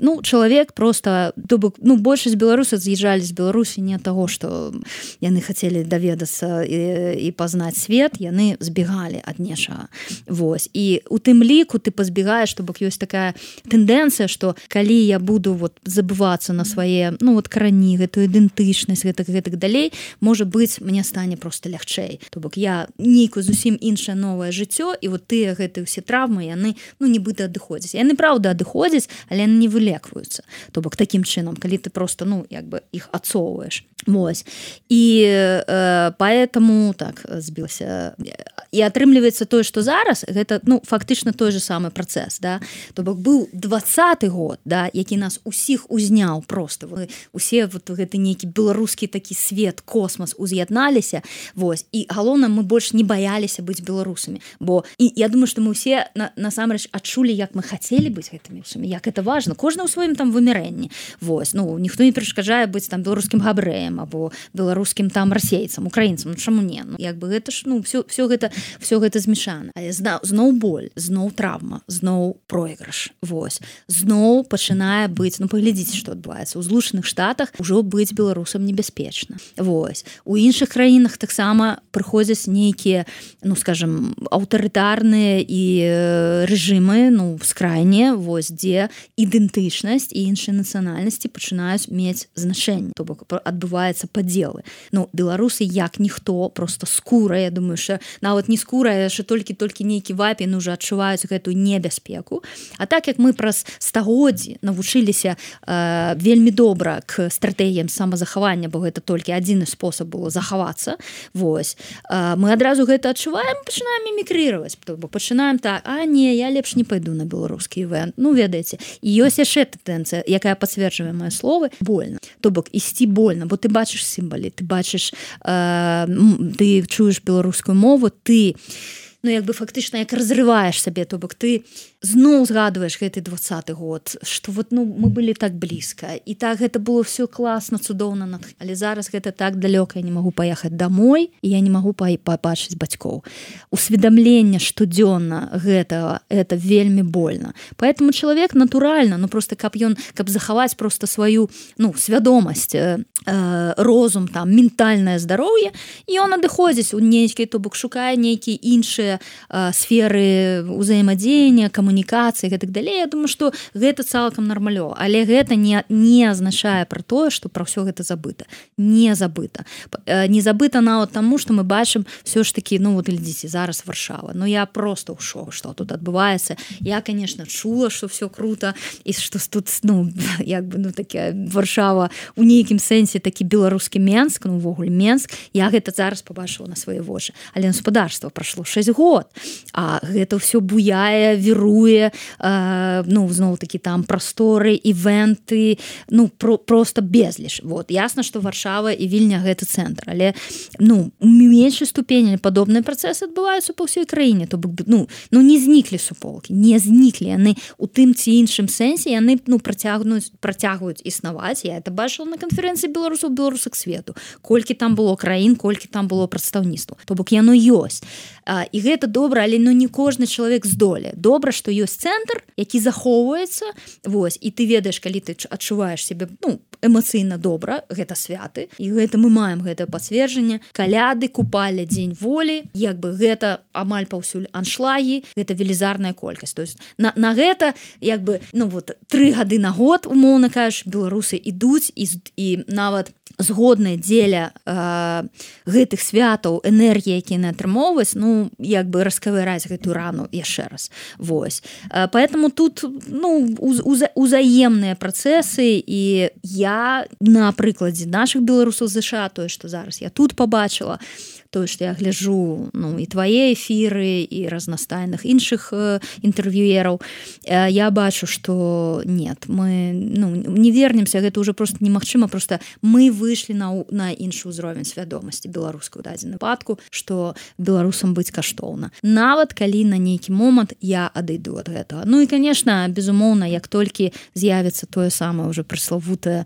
ну, чалавек просто, то бок, ну, большасць беларусаў з'язджалі з Беларусі не ад таго, што яны хацелі даведацца і пазнаць свет, яны збегалі ад нечага. Вось. І у тым ліку ты пазбегаеш, то бок ёсць такая тэндэнцыя, што калі я буду вот забывацца на свае, ну, вот карані, гэтую ідэнтычнасць, гэтак далей, можа быць, мне стане просто лягчэй. То бок я нейкую зусім іншае новае жыццё, і вот тыя гэтыя ўсе траўмы, яны, ну, нібыта адыходзяць. Яны, правда, адыходзяць, але яны не вылекваюцца. То бок такім чынам, калі ты просто, ну, як бы іх адцоўваеш. Вось. І поэтому, так, збілася. І атрымліваецца тое, што зараз, гэта, ну, фактычна той же самы працэс, да? То бок быў 20-й год, да, які нас усіх узняў просто. Усе вот гэты нейкі беларускі такі свет, космас уз'ядналіся, вось. І галоўна, мы больш не баяліся быць беларусамі. Бо, і я думаю, што мы ўсе насамрэч адчулі, як мы хацелі быць гэтымі ўсімі, як это важна. Кожны ў сваім там вымярэнні. Вось. Ну, ніхто не перашкаджае быць там беларускім габрэем або беларускім там расейцам, украінцам. Ну, чаму не? Ну, як бы гэта ж, ну, все гэта змешана. Але зноў боль, зноў траўма, зноў пройгрыш. Вось. Зноў пачынае быць, ну, паглядзіце, што адбываецца. У Злучаных Штатах ужо быць беларусам небяспечна. Вось. У іншых краінах таксама прыходзяць нейкія, ну, скажем, аўтарытарныя і рэжымы, ну, скрайнія, вось, дзе ідэнтычнасць і іншыя нацыянальнасці пачынаюць мець значэнне. То бок адбываюцца падзелы. Ну, беларусы як ніхто, просто скура, я думаю, що нават не скура, а що толькі нейкі вапін уже адчуваюць гэтую небяспеку. А так як мы праз стагоддзі навучыліся вельмі добра к стратэгіям самазахавання, бо гэта толькі адзіны спосаб было захавацца, вось, мы адразу гэта адчуваем, пачынаем мімікрировать, бо пачынаем так, а не, я лепш не пайду на беларускі івент. Ну, ведаеце, і ёсць яшчэ тэндэнцыя, якая пацверджвае мае словы, больно. То бок ісці больно, бо ты бачыш сімвалы, ты бачыш, ты чуеш беларускую мову, ты, ну, як бы фактычна як разрываеш сабе, то бок ты зноў згадваеш гэты 20-й год, што вот, ну, мы былі так блізка, і так гэта было все класна, цудоўна, але зараз гэта так далёка, я не магу паехаць домой, і я не магу пабачыць бацькоў. Усведамленне штодзённа гэтага, это вельмі больно. Поэтому чалавек натуральна, ну, просто каб захаваць просто сваю, ну, свядомасць, розум, там, ментальнае здароўе, і ён адыходзіць у нейкі, то бок шукае нейкія іншыя сферы ўзаемадзеяння, камунікацыі, гэтак далей. Я думаю, што гэта цалкам нармалёва, але гэта не азначае пра тое, што пра ўсё гэта забыта. Не забыта. Не забыта нават таму, што мы бачым все ж такі, ну, вот глядзіце, зараз Варшава. Ну, я просто ў шоку, што тут адбываецца. Я, конечно, чула, што все круто, і што тут, ну, як бы, ну, такая Варшава у нейкім сэнсе такі беларускі Менск, ну, увогуле Менск. Я гэта зараз пабачыла на свае вочы. Але гаспадарства прайшло 6 год, а гэта ўсё буяе, віруе, будуе ну зноў такі там прасторы, івенты, ну просто безліч. Вот ясна, што Варшава і Вільня гэта цэнтр, але ну у меншай ступені падобныя працэсы адбываюцца па ўсёй краіне, то бок ну не зніклі суполкі, не зніклі яны у тым ці іншым сэнсе, яны ну працягваюць існаваць. Я это бачыла на канферэнцыі беларусак свету, колькі там было краін, колькі там было прадстаўніцтва, то бок яно ёсць. І гэта добра, але ну не кожны чалавек здолее. Добра, што ёсць цэнтр, які захоўваецца, вось, і ты ведаеш, калі ты адчуваеш сябе ну эмацыйна добра, гэта святы, і гэта мы маем гэтае пацверджанне. Каляды, купаля, дзень волі, як бы гэта амаль паўсюль аншлагі, гэта велізарная колькасць. То есть на гэта як бы ну вот 3 гады на год, умоўна кажучы, беларусы ідуць і нават згодныя дзеля гэтых святаў энергіі, якія яны атрымоўваюць, ну як бы раскавыраць гэтую рану яшчэ раз. Вось. Поэтому тут ну узаемныя працэсы, і я на прыкладзе нашых беларусаў ЗША, тое, што зараз я тут пабачыла, тое, што я гляджу ну і твае эфіры і разнастайных іншых інтэрв'юераў, я бачу, што нет, мы ну не вернемся, гэта ўжо просто немагчыма, просто мы выйшлі на іншы ўзровень свядомасці беларускай у дадзеным выпадку, што беларусам быць каштоўна. Нават калі на нейкі момант я адыду ад гэтага. Ну і конечно, безумоўна, як толькі з'явіцца тое самае ўжо прыславутае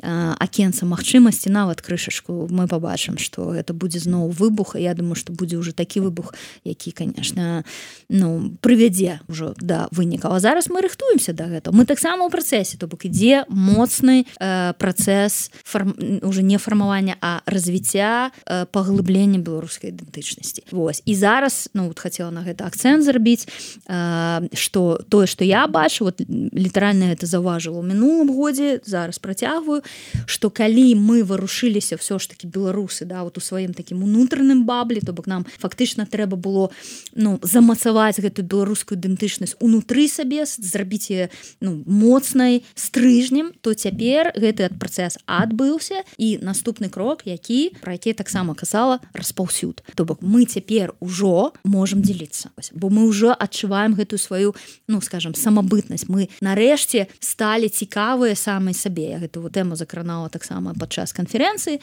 акенца магчымасці, нават крышачку, мы пабачым, што гэта будзе зноў выбух, і я думаю, што будзе ўжо такі выбух, які, конечно, ну прывядзе ўжо да вынікаў. А зараз мы рыхтуемся да гэтага. Мы таксама ў працэсе, то бок ідзе моцны працэс уже не фармавання, а развіцця, паглыблення беларускай ідэнтычнасці. Вось. І зараз, ну вот хацела на гэта акцэнт зрабіць, што тое, што я бачу, вот літаральна гэта заўважыла ў мінулым годзе, зараз працягваю, што калі мы варушыліся ўсё ж такі беларусы, да, вот у сваім такім унутраным баблі, то бок нам фактычна трэба было ну замацаваць гэтую беларускую ідэнтычнасць унутры сабе, зрабіць яе ну моцнай стрыжнем, то цяпер гэты працэс адбыўся, і наступны крок, про які таксама казала, распаўсюд. То бок мы цяпер ужо можам дзеліцца, бо мы ўжо адчуваем гэтую сваю, ну скажем, самабытнасць. Мы нарэшце сталі цікавыя самай сабе. Я гэтую тэму закранала таксама падчас канферэнцыі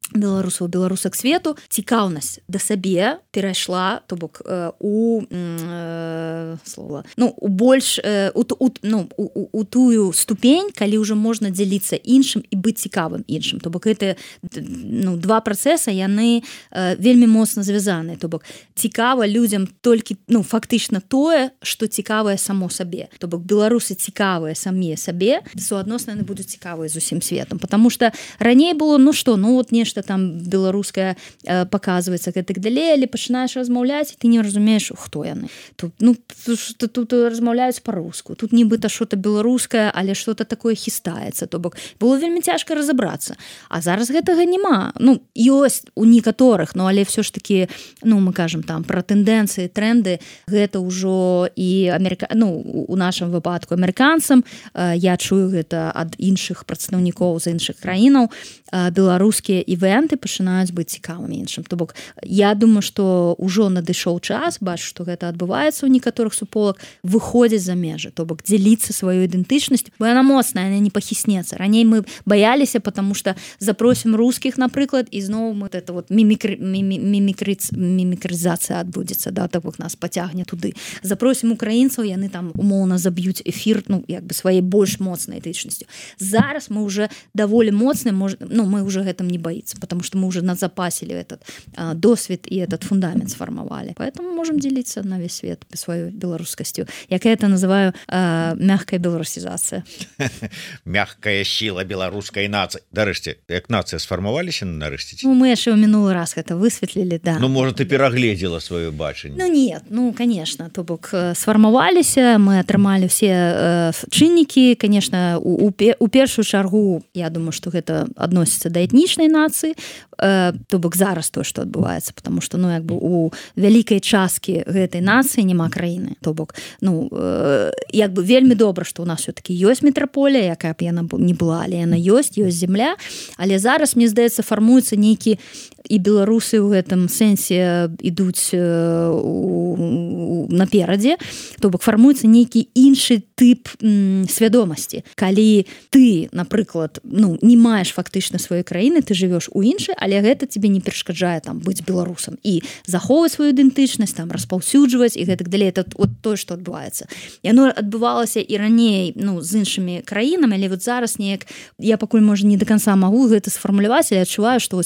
беларусак свету. Цікаўнасць да сабе перайшла, то бок у слова, ну у больш у тую ступень, калі ўжо можна дзяліцца іншым і быць цікавым іншым. То бок гэта ну два працэсы, яны вельмі моцна звязаныя. То бок цікава людзям толькі ну фактычна тое, што цікавае само сабе. То бок беларусы цікавыя самі сабе, суадносна яны будуць цікавыя з усім светом, потому что раней было ну што, ну вот нешта там беларускае показваецца гэтак далей, але пачынаеш размаўляць, і ты не разумееш, хто яны. Тут ну тут размаўляюць па-руску, тут нібыта что-то беларускае, але что-то такое хістаецца. То бок было вельмі цяжка разабрацца. А зараз гэтага няма. Ну ёсць у некаторых, ну але все ж таки, ну мы кажам там пра тэндэнцыі, тренды, гэта ўжо і ну у нашым выпадку амерыканцам, я чую гэта ад іншых прадстаўнікоў з іншых краінаў, беларускія івенты пачынаюць быць цікавымі іншым. То бок я думаю, што ўжо надышоў час, бачу, што гэта адбываецца ў некаторых суполак, выходзіць за межы, то бок дзеліцца сваёй ідэнтычнасцю, бо яна моцная, яна не пахіснецца. Раней мы баяліся, потому что запросім рускіх, напрыклад, і зноў мы это вот мімікрызацыя адбудзецца, да, то бок нас пацягне туды. Запросім украінцаў, яны там умоўна заб'юць эфір, ну як бы сваёй больш моцнай ідэнтычнасцю. Зараз мы уже даволі моцны, ну мы уже гэтым не боится, потому что мы уже назапасили этот досвід и этот фундамент сформовали. Поэтому можем делиться на весь свет своей белорусскостью. Я это называю мягкая белорусизация. Мягкая сила белорусской нации. Дарэшце, як нация сформоваліся нарэшце? Ну, мы яшчэ ў мінулы раз это высветлілі, да. Ну, может, ты перагледзела сваё бачанне? Ну, нет, ну, конечно, то бок сфармаваліся, мы атрымалі все чыннікі, конечно, у першую чаргу, я думаю, что гэта адносіцца да этнічнай нацыі, то бок зараз то, што адбываецца, потому что, ну, як бы у вялікай часткі гэтай нацыі няма краіны. То бок, ну, як бы вельмі добра, што ў нас все-таки ёсць метраполія, якая б яна не была, але яна ёсць земля, але зараз, мне здаецца, фармуецца нейкі і беларусы ў гэтым сэнсе ідуць наперадзе, то бок фармуецца нейкі іншы тып свядомасці. Калі ты, напрыклад, не маеш фактычна сваёй краіны, ты жывеш у іншай, але гэта тебе не перашкаджае там быць беларусам і захоўваць сваю ідэнтычнасць, там распаўсюджваць і гэтак далей. Это тое, што адбываецца. Яно адбывалася і раней з іншымі краінамі, але вот зараз неяк я пакуль можа не до конца магу гэта сфармуляваць, але адчуваю, што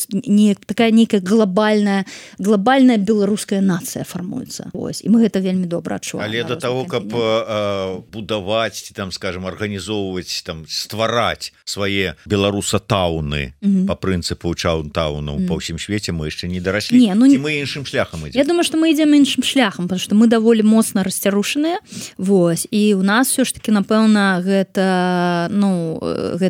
такая нейкая глобальная беларуская нацыя фармуецца. І мы гэта вельмі добра адчуваем. Але да таго, каб будаваць, там, скажем, арганізоўваць, там, ствараць свае беларусатауны па прынцыпу чаунтаунаў па ўсім свеце мы яшчэ не дараслі. Ці мы іншым шляхам ідзем? Я думаю, што мы ідзем іншым шляхам, потому што мы даволі моцна расцярушаныя. І у нас все ж таки, напэўна, гэта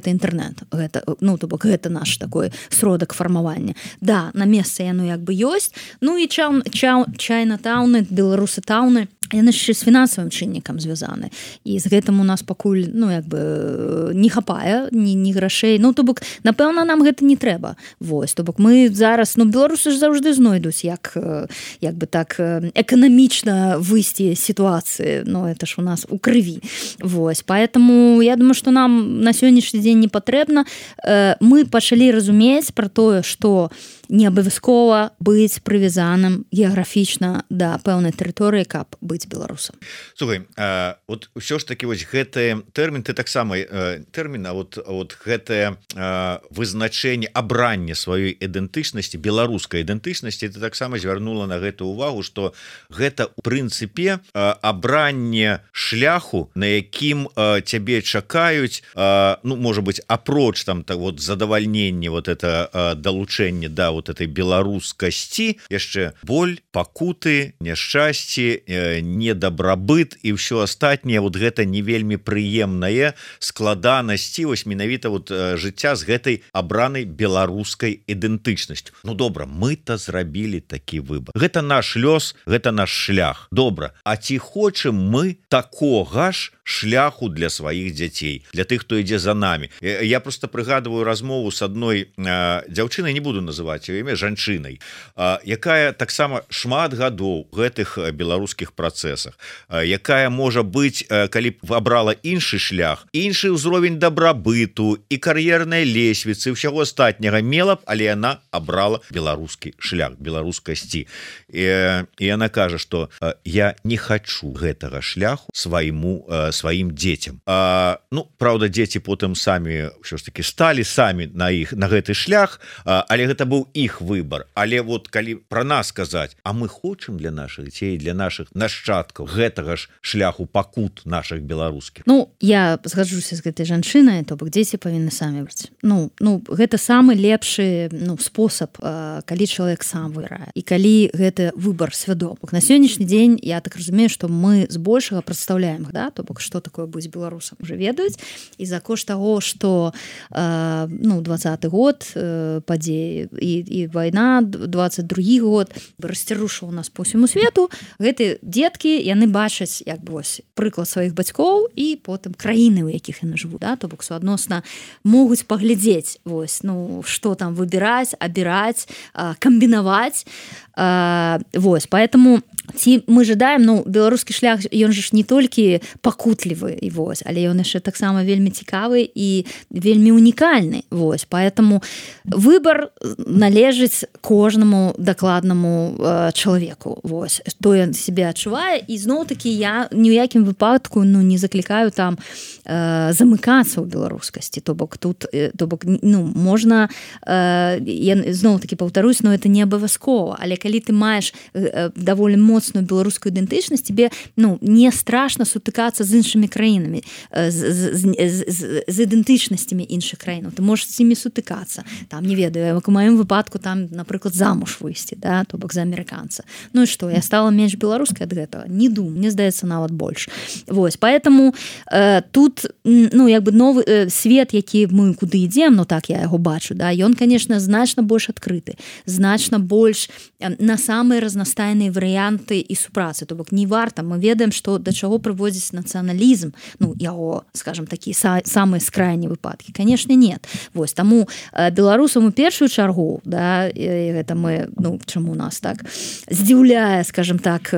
інтэрнет. То бок гэта наш такой сродак фармавання. Да, на месцы яно як бы ёсць. І чайнатауны, беларусатауны, яны яшчэ з фінансавым чыннікам звязаны. І з гэтым у нас пакуль не хапае ні грашэй. То бок, напэўна, нам гэта не трэба. То бок мы зараз, беларусы ж заўжды знойдуць, як бы так эканамічна выйсці з сітуацыі. Это ж у нас у крыві. Поэтому я думаю, што нам на сённяшні дзень не патрэбна. Мы пачалі разумець пра тое, што не абавязкова быць прывязаным геаграфічна да пэўнай тэрыторыі, каб быць беларусам. Слухай, вот ўсё ж таки гэты тэрмін, ты таксама тэрмін, гэтае вызначэнне, абранне сваёй ідэнтычнасці, беларускай ідэнтычнасці, ты таксама звярнула на гэту увагу, што гэта у прынцыпе абранне шляху, на якім цябе чакаюць, можа быць, апроч там задавальнення это далучэнне да этой беларускасці, яшчэ боль, пакуты, няшчасці, недабрабыт і ўсё астатняе, гэта не вельмі прыемнае складанасці менавіта жыцця з гэтай абранай беларускай ідэнтычнасцю. Добра, мы-то зрабілі такі выбар. Гэта наш лёс, гэта наш шлях. Добра, а ці хочам мы такога ж шляху для сваіх дзяцей, для тых, хто ідзе за намі? Я просто прыгадываю размову с адной дзяўчынай, не буду называць ее імя, жанчынай, якая таксама шмат гадоў гэтых беларускіх працэсах, якая можа быць, калі б абрала іншы шлях, іншы ўзровень дабрабыту і кар'ернай лесвіцы, ўсяго астатняга мела б, але яна абрала беларускі шлях, беларускасці. І яна кажа, што я не хачу гэтага шляху сваім дзецям. Праўда, дзеці потым самі ўсё ж таки сталі самі на гэты шлях, але гэта быў іх выбор. Але калі пра нас казаць, а мы хочам для нашых дзяцей, для нашых нашчадкаў гэтага ж шляху пакут наших беларускіх. Я згаджуся з гэтай жанчынай, то бок дзеці павінны самі браць. Гэта самы лепшы спосаб, калі чалавек сам выбірае і калі гэта выбор свядомы. На сённяшні дзень я так разумею, што мы збольшага прадстаўляем, то бок што такое быць беларусам, уже ведаюць, і за кошт таго, што 20-й год падзеі і вайна, 22-й год расцярушыў нас по ўсяму свету, гэты дзеткі, яны бачаць прыклад сваіх бацькоў і потым краіны, у якіх яны жывуць, то бок суадносна могуць паглядзець, што там выбіраць, абіраць, камбінаваць. Поэтому ці мы жадаем, беларускі шлях, ён же ж не толькі пакутлівы, але ён яшчэ таксама вельмі цікавы і вельмі унікальны. Поэтому выбор належыць кожнаму дакладнаму чалавеку. То ён себе адчувае, і зноў-такі я ні ў якім выпадку не заклікаю там замыкацца ў беларускасці. То бок тут можна, я зноў-такі паўтарусь, это не абавязкова, але калі ты маеш даволі моцную беларускую ідэнтычнасць, тебе не страшна сутыкацца з іншымі краінамі, з ідэнтычнасцямі іншых краінаў. Ты можаш з імі сутыкацца. Там, не ведаю, як у маім выпадку, там, напрыклад, замуж выйсці, то бок за амерыканца. І што, я стала менш беларускай ад гэтага? Не думаю, мне здаецца, нават больш. Поэтому тут, новы свет, які мы куды ідзем, так я яго бачу, ён, конечно, значна больш адкрыты, значна больш на самыя разнастайныя варыянты моменты і супрацы, то бок не варта, мы ведаем, што да чаго прыводзіць нацыяналізм, ну яго, скажем, такія самыя скрайнія выпадкі, конечно, нет. Вось таму беларусам у першую чаргу, да, гэта мы, ну чаму у нас так здзіўляе, скажем так,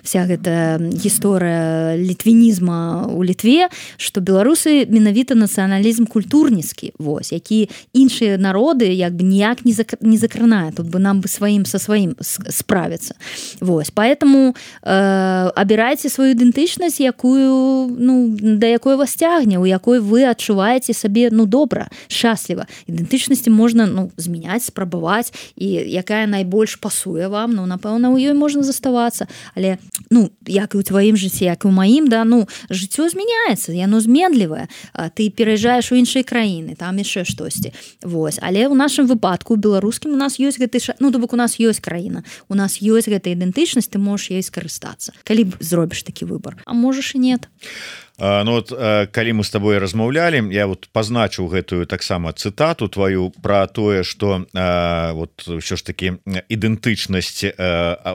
вся гэта гісторыя літвінізма у Літве, што беларусы менавіта нацыяналізм культурніцкі, вось, які іншыя народы як бы ніяк не закранае, тут бы нам бы со сваім справиться. Вось, поэтому абірайце сваю ідэнтычнасць, якую, ну, да якой вас цягне, у якой вы адчуваеце сабе, ну, добра, шчасліва. Ідэнтычнасці можна, ну, змяняць, спрабаваць, і якая найбольш пасуе вам, ну, напэўна, у ёй можна заставацца, але, ну, як і ў тваім жыцці, як і ў маім, да, ну, жыццё змяняецца, яно зменлівае, ты пераязджаеш у іншыя краіны, там яшчэ штосьці, вось, але ў нашым выпадку, у беларускім, у нас ёсць гэты, ну, то бок у нас ёсць краіна, у нас ёсць гэта ідэнтычнасць, ты можаш ёй скарыстацца, калі зробіш такі выбор, а можаш і нет. Ну вот калі мы с тобой размаўлялі, я вот пазначыў гэтую таксама цытату твою про тое, что вот ўсё ж таки ідэнтычнасць,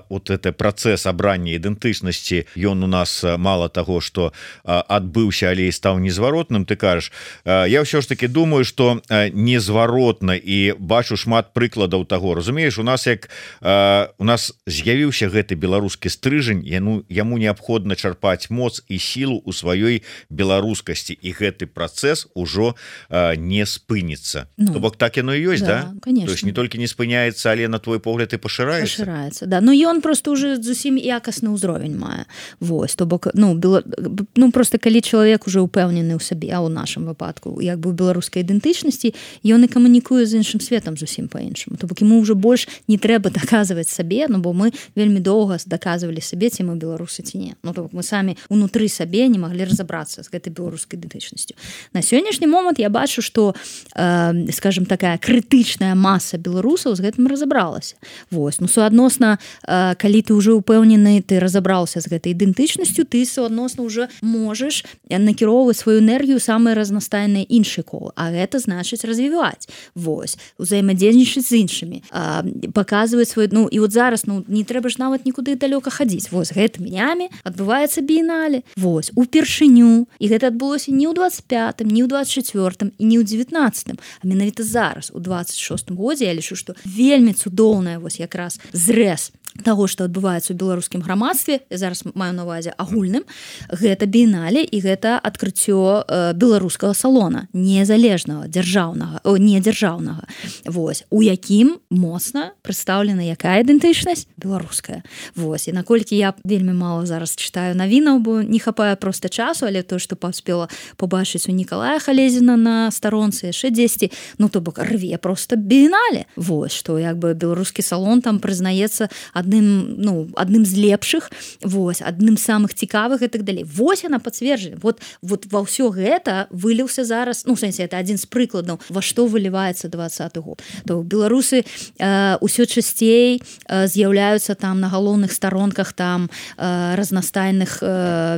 вот это працэс абрання ідэнтычнасці, ён у нас мало того, что адбыўся, але і стаў незваротным, ты кажаш, я ўсё ж таки думаю, что незваротна, і бачу шмат прыкладаў таго, разумееш, у нас як у нас з'явіўся гэты беларускі стрыжань, яму неабходна чарпаць моц і сілу у сваёй беларускасці, і гэты працэс ужо не спыніцца. Ну, то бок так яно і ёсць, да? Конечно. То есть не толькі не спыняецца, але на твой погляд і пашыраецца, да. Ну ён просто уже зусім якасны ўзровень мае. Вось, то бок, ну просто калі чалавек уже упэўнены ў сабе, а ў нашым выпадку як бы ў беларускай ідэнтычнасці, ён і камунікуе з іншым светам зусім па-іншаму. То бок яму ўжо больш не трэба даказваць сабе, ну бо мы вельмі доўга даказвалі сабе, ці мы беларусы ці не. Ну то бок мы самі унутры сабе не маглі разобраться з гэтай беларускай ідэнтычнасцю. На сённяшні момант я бачу, што, скажем, такая крытычная маса беларусаў з гэтым разабралася. Вось, ну суадносна, калі ты ўжо упэўнены, ты разабраўся з гэтай ідэнтычнасцю, ты суадносна ўжо можаш накіроўваць сваю энергію самыя разнастайныя іншыя колы, а гэта значыць развіваць. Вось, узаемадзейнічаць з іншымі, паказваць свой, ну і вот зараз, ну не трэба ж нават нікуды далёка хадзіць. Вось, гэтымі днямі адбываецца біенале. Вось, упершыню, і гэта адбылося не ў 25-м, не ў 24-м і не ў 19-м, а менавіта зараз, у 26-м годзе, я лічу, што вельмі цудоўная вось якраз зрэз таго, што адбываецца ў беларускім грамадстве, я зараз маю на ўвазе агульным, гэта біенале і гэта адкрыццё беларускага салона, незалежнага, недзяржаўнага. Вось, у якім моцна прадстаўлена якая ідэнтычнасць? Беларуская. Вось, і наколькі я вельмі мала зараз чытаю навінаў, бо не хапае проста часу, але то, што паспела побачыць у Нікалая Халезіна на старонцы, яшчэ дзесьці, ну то бок рве проста біенале. Вось, што як бы беларускі салон там прызнаецца адным з лепшых, вось, адным з самых цікавых і так далей. Вось яна пацверджана. Вот ва ўсё гэта выліўся зараз, ну, в сэнсе, это адзін з прыкладаў, во што выліваецца 20-й год. То беларусы ўсё часцей з'яўляюцца там на галоўных старонках там разнастайных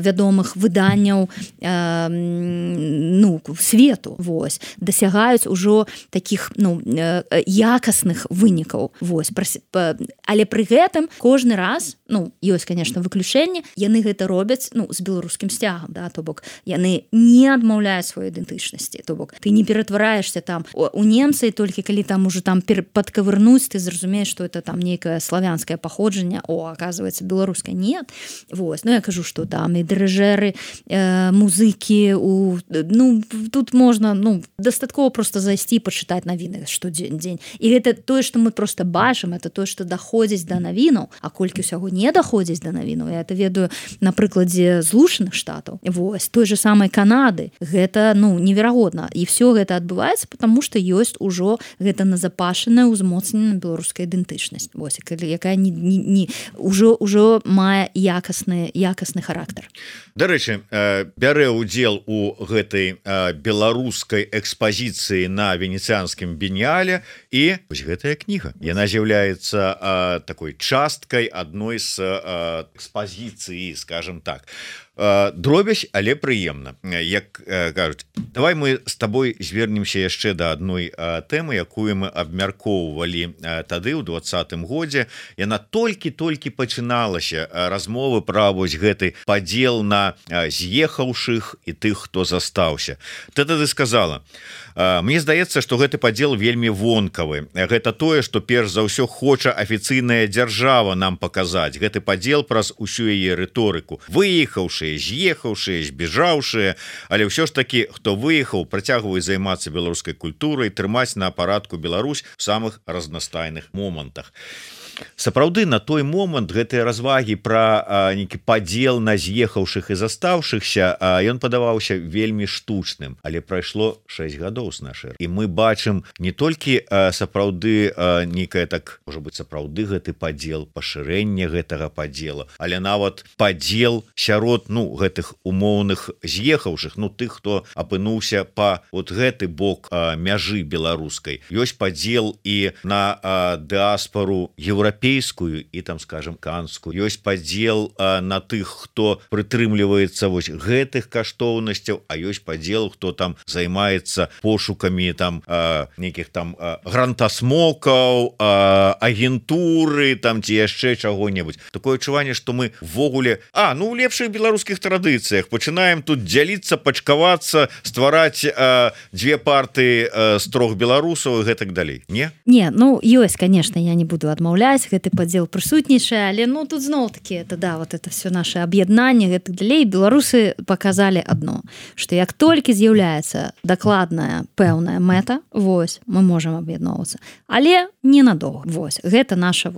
вядомых выданняў свету, вось, дасягаюць ужо такіх, якасных вынікаў, вось, але пры гэтым кожны раз, ёсць, конечно, выключэнне, яны гэта робяць, з беларускім сцягам, да, то бок яны не адмаўляюць сваёй ідэнтычнасці, то бок ты не ператвараешься там у немцы, толькі калі там уже там падкавырнуць, ты зразумееш, што это там нейкае славянскае паходжанне, оказывается, беларускае, нет. Вось, я кажу, што там і дырыжэры, музыкі, тут можна, дастаткова просто зайсці і пачытаць навіны штодзень. І гэта тое, што мы просто бачым, это тое, што даходзіць да навінаў, а колькі ўсяго не даходзіць да навінаў, я это ведаю на прыкладзе Злучаных Штатаў. Вось, той же самай Канады. Гэта, неверагодна. І все гэта адбываецца, потому што ёсць ужо гэта назапашаная, узмоцненая беларуская ідэнтычнасць. Вось, якая ўжо мае якасны характар. Дарэчы, бярэ ўдзел у гэтай беларускай экспазіцыі на венецыянскім біенале, і вось гэтая кніга. Яна з'яўляецца такой часткай адной з экспазіцыі, скажем так. дробязь, але прыемна, як кажуць. Давай мы з табой звернемся яшчэ да адной тэмы, якую мы абмяркоўвалі тады ў 20-м годзе. Яна толькі пачыналася, размовы пра вось гэты падзел на з'ехаўшых і тых, хто застаўся. Ты тады сказала: мне здаецца, што гэты падзел вельмі вонкавы. Гэта тое, што перш за ўсё хоча афіцыйная дзяржава нам паказаць. Гэты падзел праз усю яе рыторыку. Выехаўшыя, з'ехаўшыя, збежаўшыя, але ўсё ж такі, хто выехаў, працягваюць займацца беларускай культурай, трымаць на апаратку Беларусь у самых разнастайных момантах. Сапраўды, на той момант гэтыя развагі пра нейкі падзел на з'ехаўшых і застаўшыхся, ён падаваўся вельмі штучным, але прайшло 6 гадоў з нашай. І мы бачым не толькі сапраўды нейкае, так можа быць, сапраўды гэты падзел, пашырэнне гэтага падзела, але нават падзел сярод гэтых умоўных з'ехаўшых, тых, хто апынуўся па вот гэты бок мяжы беларускай. Ёсць падзел і на дыаспару еўрапейскую і там, скажем, канскую. Ёсць падзел на тых, хто прытрымліваецца вось гэтых каштоўнасцяў, а ёсць падзел, хто там займаецца пошукамі там нейкіх там грантасмокаў, агентуры там ці яшчэ чаго-небудзь. Такое адчуванне, што мы ввогуле у лепшых беларускіх традыцыях пачынаем тут дзяліцца, пачкавацца, ствараць дзве партыі з 3 беларусаў і гэтак далей. Не, ёсць, конечно, я не буду адмаўляць, гэты падзел прысутнічае, але тут зноў-такі вот это все наше аб'яднанне гэтак далей. Беларусы показалі адно, што як толькі з'яўляецца дакладная пэўная мэта, вось, мы можам аб'ядноўвацца, але ненадоўга. Вось, гэта наша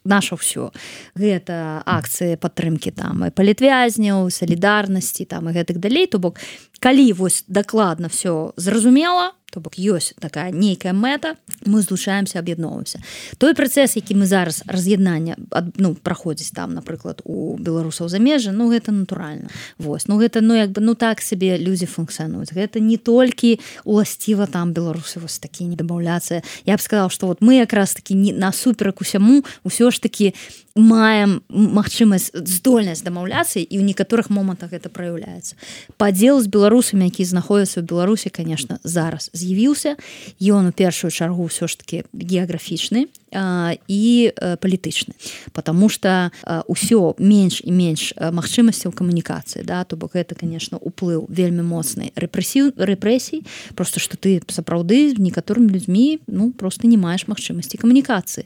наша ўсё. Гэта акцыі падтрымкі там і палітвязняў, салідарнасці там і гэтак далей. То бок, калі вось дакладна все зразумела, то бок ёсць такая нейкая мэта, мы злучаемся, аб'ядноўваемся. Той працэс, які мы зараз раз'яднання праходзіць там, напрыклад, у беларусаў замежжа, гэта натуральна. Вось, гэта так сабе людзі функцыянуюць. Гэта не толькі уласціва там беларусы вось такі не дабаўляцца. Я б сказала, што мы якраз такі насуперак усяму ўсё ж такі маем магчымасць, здольнасць дамаўляцца, і ў некаторых момантах гэта праяўляецца. Падзел з беларусамі, які знаходзяцца ў Беларусі, конечно, зараз з'явіўся. Ён у першую чаргу ўсё ж такі геаграфічны і палітычны, потому что ўсё менш і менш магчымасцяў камунікацыі, то бок гэта, конечно, уплыў вельмі моцнай рэпрэсій, просто што ты сапраўды з некаторымі людзьмі просто не маеш магчымасці камунікацыі.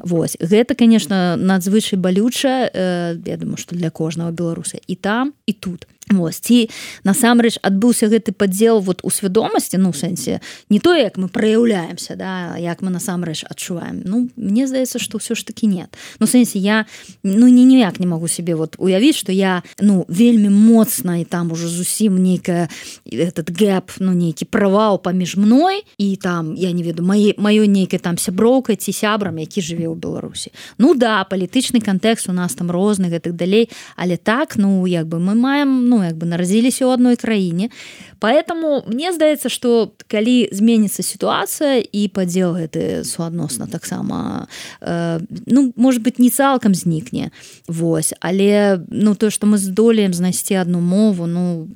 Вось, гэта, конечно, надзвычай балюча, я думаю, што для кожнага беларуса і там, і тут. Вось, ці насамрэч адбыўся гэты падзел у свядомасці, у сэнсе не то, як мы праяўляемся, як мы насамрэч адчуваем. Мне здаецца, што ўсё ж такі нет. У сэнсе я ніяк не магу себе уявіць, што я вельмі моцна і там уже зусім нейкая этот гэп, нейкі правал паміж мной і там, я не веду, маёй нейкай там сяброўкай ці сябрам, які жыве ў Беларусі. Палітычны кантэкст у нас там розны, гэтак далей, але так, мы маем, нарадзіліся ў адной краіне. Поэтому мне здаецца, што калі зменіцца сітуацыя і падзел гэты суадносна таксама, может быть, не цалкам знікне. Вось, але то, што мы здолеем знайсці адну мову,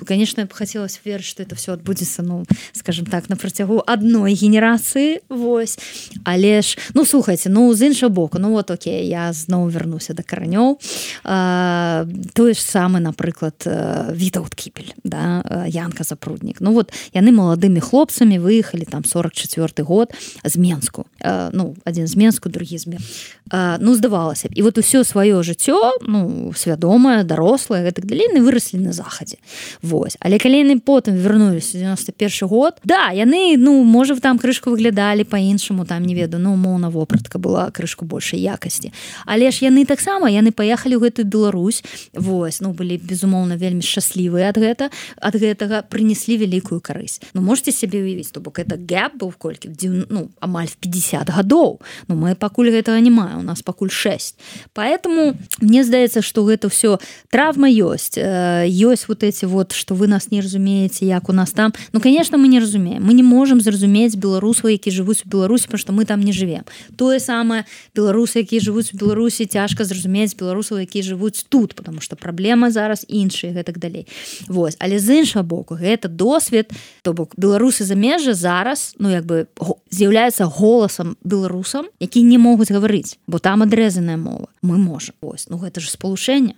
конечно, я б хацелася верыць, што это все адбудзецца, скажем так, на працягу адной генерацыі. Вось. Але ж, слухайце, з іншага боку, окей, я зноў вярнуся да каранёў. Тое ж самае, напрыклад, Вітаўт Кіпель, Янка Запруднік. Яны маладымі хлопцамі выехалі там 44-й год з Менску. Адзін з Менску, другі з Менску. Здавалася б. І усё сваё жыццё, свядомае, дарослае, гэтак далей, выраслі на захадзе. Вось. Але калі яны потым вярнуліся 91-й год, яны, можа, там крышку выглядалі па-іншаму, там, не веду, умоўна, вопратка была крышку большай якасці. Але ж яны таксама, яны паехалі ў гэтую Беларусь, вось, былі, безумоўна, вельмі шчаслівыя ад гэтага, прынеслі прынеслі вялікую карысць. Ну можете себе уявіць, то бок это гэп быў колькі, ну, амаль в 50 гадоў. Ну мы пакуль гэтага не маем, у нас пакуль 6. Поэтому мне здаецца, што гэта все травма ёсць. Ёсць вот эти вот, что вы нас не разумееце, як у нас там. Ну, конечно, мы не разумеем. Мы не можем зразумець беларусаў, які жывуць у Беларусі, потому что мы там не живем. Тое самае беларусы, якія жывуць у Беларусі, цяжка зразумець беларусаў, якія жывуць тут, потому что праблема зараз іншая, гэтак далей. Вось. Але з іншага боку, гэта досвед, то бок беларусы замежжа зараз, ну, як бы з'яўляецца голасам беларусам, які не могуць гаварыць, бо там адрэзаная мова. Мы можем. Вось. Ну, гэта ж спалучэнне.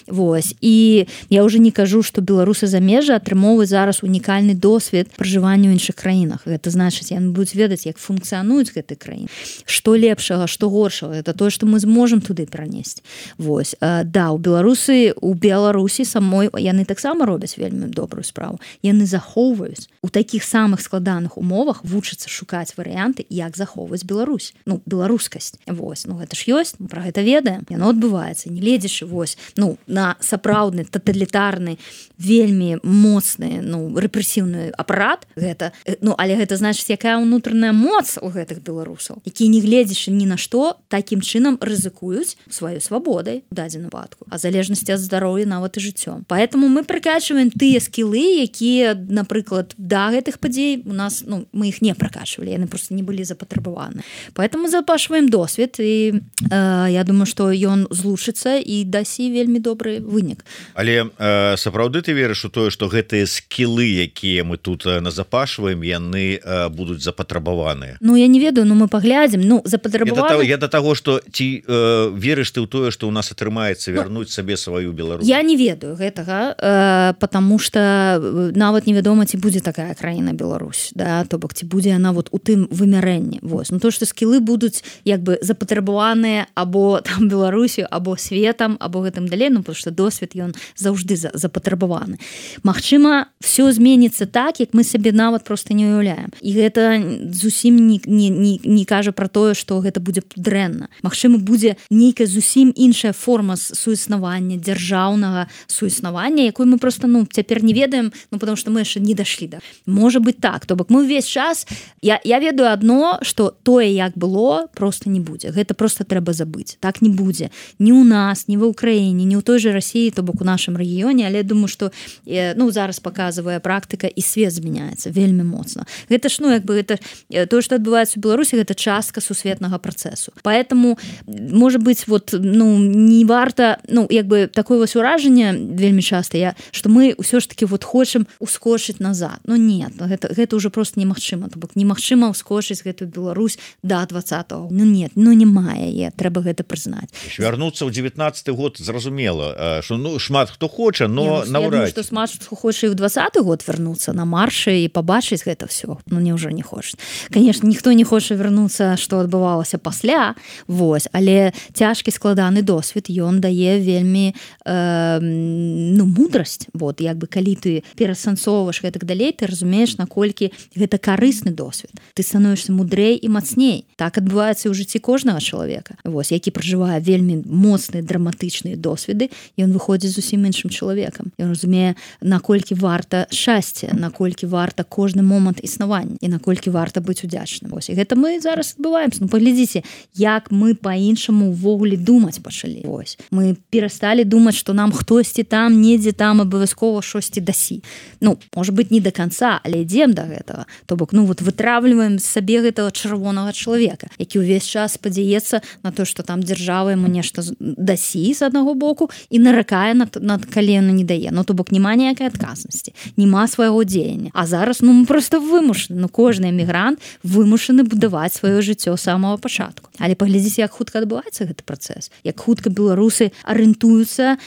Вось. І я уже не кажу, што беларусы замежжа атрымоўваюць зараз унікальны досвед пражывання ў іншых краінах. Гэта значыць, яны будуць ведаць, як функцыянуюць гэтай краіны. Што лепшага, што горшага, это тое, што мы зможам туды пранесці. Вось. Да, у Беларусі самой яны таксама робяць вельмі добрую справу. Яны захоўваюць у такіх самых складаных умовах, вучацца шукаць варыянты, як захоўваць Беларусь. Ну, беларускасць. Вось. Ну, гэта ж ёсць, мы пра гэта ведаем. Яно адбываецца, не ледзячы вось, ну, на сапраўдны таталітарны, вельмі моцны, ну, рэпрэсіўны апарат гэта, ну, але гэта значыць, якая ўнутраная моц у гэтых беларусаў, якія не гледзячы ні на што, такім чынам рызыкуюць сваёй свабодай у дадзеным выпадку, а залежнасці ад здароўя нават і жыццём. Поэтому мы пракачваем тыя скілы, якія, напрыклад, да гэтых падзей у нас, ну, мы іх не пракачвалі, яны просто не былі запатрабаваны. Поэтому запашваем досвед, і я думаю, што ён злучыцца і дасі вельмі добры вынік. Але сапраўды ты верыш у тое, што гэтыя скілы, якія мы тут назапашваем, яны будуць запатрабаваныя? Ну, я не ведаю, но мы паглядзім. Ну, запатрабаваны... Я да таго, што ці верыш ты ў тое, што ў нас атрымаецца вярнуць сабе сваю Беларусь? Я не ведаю гэтага, потому что нават невядома, ці будзе такая краіна Беларусь, да, то бок ці будзе яна вот у тым вымярэнні. Вось. Ну, то, што скілы будуць як бы запатрабаваныя або там Беларусю, або светам, або гэтым далей, ну, потому что досвед ён заўжды запатрабаваны. Магчыма, все зменіцца так, як мы сабе нават просто не уяўляем. І гэта зусім не кажа пра тое, што гэта будзе дрэнна. Магчыма, будзе нейкая зусім іншая форма суіснавання, дзяржаўнага суіснавання, якую мы просто, ну, цяпер не ведаем, ну, потому что мы яшчэ не дашлі да. Можа быць так. То бок мы ўвесь час, я ведаю адно, што тое, як было, просто не будзе. Гэта просто трэба забыць. Так не будзе. Ні ў нас, ні ва Украіне, ні ў той же России, то бок у нашым рэгіёне, але я думаю, што, ну, зараз показывае практыка, і свет змяняецца вельмі моцна. Гэта ж, ну, як бы, гэта тое, што адбываецца ў Беларусі, гэта частка сусветнага працэсу. Поэтому, можа быць, вот, ну, не варта, ну, як бы, такое вось уражанне вельмі часта, што мы ўсё ж таки вот хочам ускочыць назад. Ну, нет, гэта ўжо просто немагчыма. То бок немагчыма ускочыць гэтую Беларусь да 20-го. Ну, нет, ну, няма яе, трэба гэта прызнаць. Вярнуцца ў 19-й год, зразумела, што, ну, шмат хто хоча, но наўрад. Я думаю, што шмат хто хоча і ў 20-й год вярнуцца на маршы і пабачыць гэта все. Ну, няўжо не хочуць. Конечно, ніхто не хоча вярнуцца, што адбывалася пасля, вось, але цяжкі складаны досвед, ён дае вельмі ну, мудрасць. Вот, як бы, калі ты перасэнсоўваеш гэтак далей, ты разумееш, наколькі гэта карысны досвед. Ты становішся мудрэй і мацней. Так адбываецца ў жыцці кожнага чалавека. Вось, які пражывае вельмі моцныя драматычныя досведы, ён выходзіць зусім іншым чалавекам. Ён разумее, наколькі варта шчасце, наколькі варта кожны момант існавання і наколькі варта быць удзячным. Вось, і гэта мы зараз адбываемся. Ну, паглядзіце, як мы па-іншаму ўвогуле думаць пачалі. Вось. Мы перасталі думаць, што нам хтосьці там, недзе там абавязкова шосьці дасі. Ну, можа быць, не до конца, але ідзем да гэтага. То бок, ну, вот вытраўліваем сабе гэтага чырвонага чалавека, які ўвесь час спадзяецца на то, што там дзяржава яму нешта дасі з аднаго боку і наракае над калена не дае. Ну, то бок, няма ніякай адказнасці, няма свайго дзеяння. А зараз, ну, мы просто вымушаны, ну, кожны эмігрант вымушаны будаваць сваё жыццё з самого пачатку. Але паглядзіце, як хутка адбываецца гэты працэс, як хутка беларусы арыентуюцца,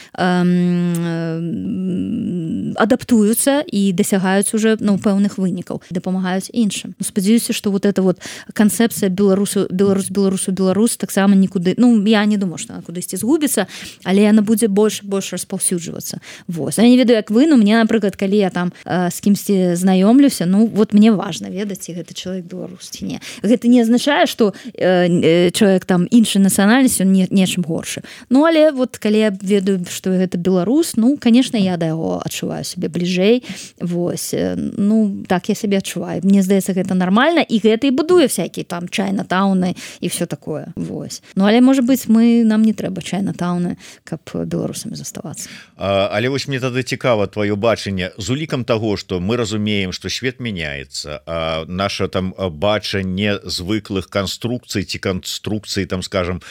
адаптуюцца і дасягаюць уже, ну, пэўных вынікаў, дапамагаюць іншым. Ну, спадзяюся, што вот эта вот канцэпцыя Беларусь таксама нікуды, ну, я не думаю, што она кудысьці згубіцца, але яна будзе больш распаўсюджвацца. Вось. Я не ведаю, як вы, но мне, напрыклад, калі я там з кімсьці знаёмлюся, ну, вот мне важна ведаць, ці гэта чалавек беларус ці не. Гэта не азначае, што чалавек там іншай нацыянальнасці, он нечым горшы. Ну, але вот калі я ведаю, што гэта беларус, ну, конечно, я да яго адчуваю сябе бліжэй бліжэй. Вось, ну так я сябе адчуваю. Мне здаецца, гэта нармальна, і гэта і будуе всякие там чайнатауны і все такое. Вось. Ну але можа быць, нам не трэба чайнатауны, каб беларусамі заставацца. Але вось мне тады цікава твоё бачанне з улікам таго, што мы разумеем, што свет мяняецца, наша там бачанне звыклых канструкцый ці канструкцыі там скажем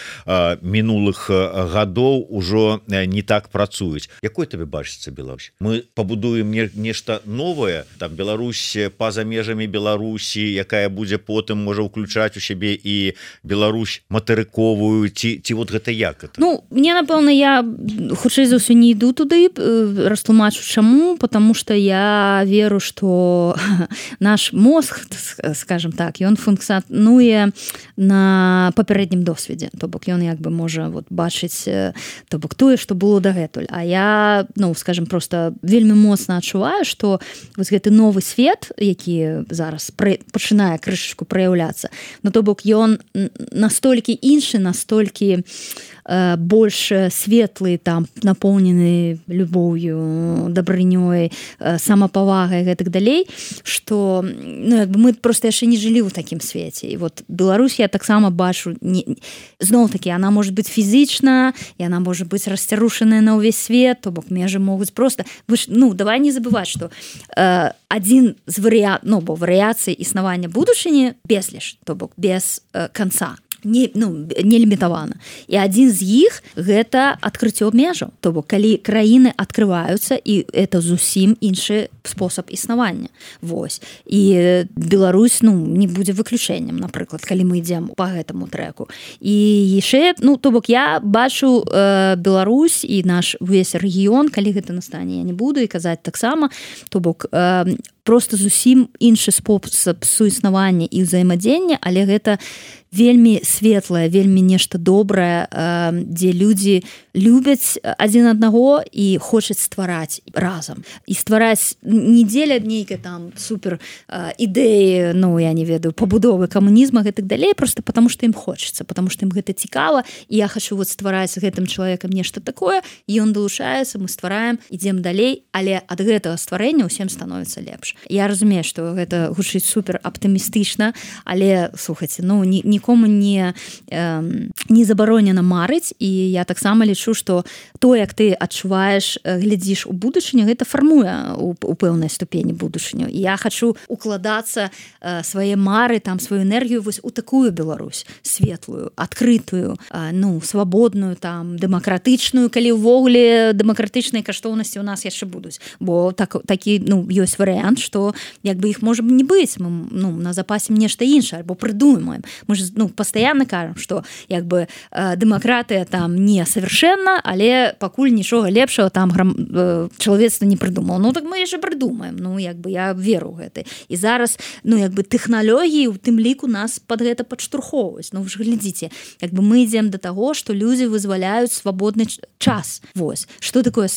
мінулых гадоў ужо не так працуюць. Якой табе бачыцца Беларусь? Мы пабудуем нешта новае, там Беларусь па-за межамі Беларусі, якая будзе потым можа ўключаць у сябе і Беларусь матэрыковую, ці вот гэта як это? Ну, мне напэўна, я хутчэй за ўсё не іду туды, растлумачу чаму, потому что я веру, что наш мозг, скажем так, ён функцыянуе на папярэднім досведзе, то бок ён як бы можа вот бачыць то бок тое, што было дагэтуль. А я, ну, скажем, просто вельмі моцна адчуваю, што вось гэты новы свет, які зараз пачынае крышачку праяўляцца, ну то бок ён настолькі іншы, настолькі больш светлы, там напоўнены любоўю, дабрынёй, самапавагай і гэтак далей, што ну, як бы мы просто яшчэ не жылі ў такім свеце. І вот Беларусь я таксама бачу, зноў-такі, она можа быць фізічна, і она можа быць расцярушаная на ўвесь свет, то бок межы могуць просто... Ну, давай не забываць, што адзін з варыяцый існавання будучыні безліч, то бок без канца. Не лімітавана. І адзін з іх гэта адкрыццё межаў. То бок, калі краіны адкрываюцца, і это зусім іншы спосаб існавання. Вось. І Беларусь, не будзе выключэннем, напрыклад, калі мы ідзем па гэтаму трэку. І яшчэ, то бок, я бачу Беларусь і наш увесь рэгіён, калі гэта настане, я не буду і казаць таксама, то бок, просто зусім іншы спосаб суіснавання і ўзаемадзення, але гэта вельмі светлае, вельмі нешта добрае, дзе людзі любяць адзін аднаго і хочуць ствараць разам. І ствараць не дзеля нейкай там супер ідэі, я не ведаю, пабудовы камунізма і так далей, просто потому што ім хочацца, потому што ім гэта цікава, і я хачу вот ствараць з гэтым чалавекам нешта такое, і ён далучаецца, мы ствараем, ідзем далей, але ад гэтага стварэння ўсім становіцца лепш. Я разумею, што гэта гучыць супер аптымістычна, але слухайце, нікому не забаронена марыць, і я таксама лічу, што то, як ты адчуваеш, глядзіш у будучыню, гэта фармуе у пэўнай ступені будучыню. І я хачу укладацца свае мары, там сваю энергію вось у такую Беларусь, светлую, адкрытую, свабодную, там дэмакратычную, калі ўвогуле дэмакратычныя каштоўнасці у нас яшчэ будуць, бо такі ёсць варыянт, што як бы іх можа не быць, мы на запасе нешта іншае, альбо прыдумаем. Мы ж пастаянна кажам, што як бы дэмакратыя там не совершенна, але пакуль нічога лепшага там чалавецтва не прыдумаў. Так мы яшчэ прыдумаем. Як бы я веру ў гэта. І зараз, як бы тэхналогіі у тым ліку нас пад гэта падштурхоўваюць. Вы ж глядзіце, як бы мы ідзем да таго, што людзі вызваляюць свабодны час. Вось. Што такое?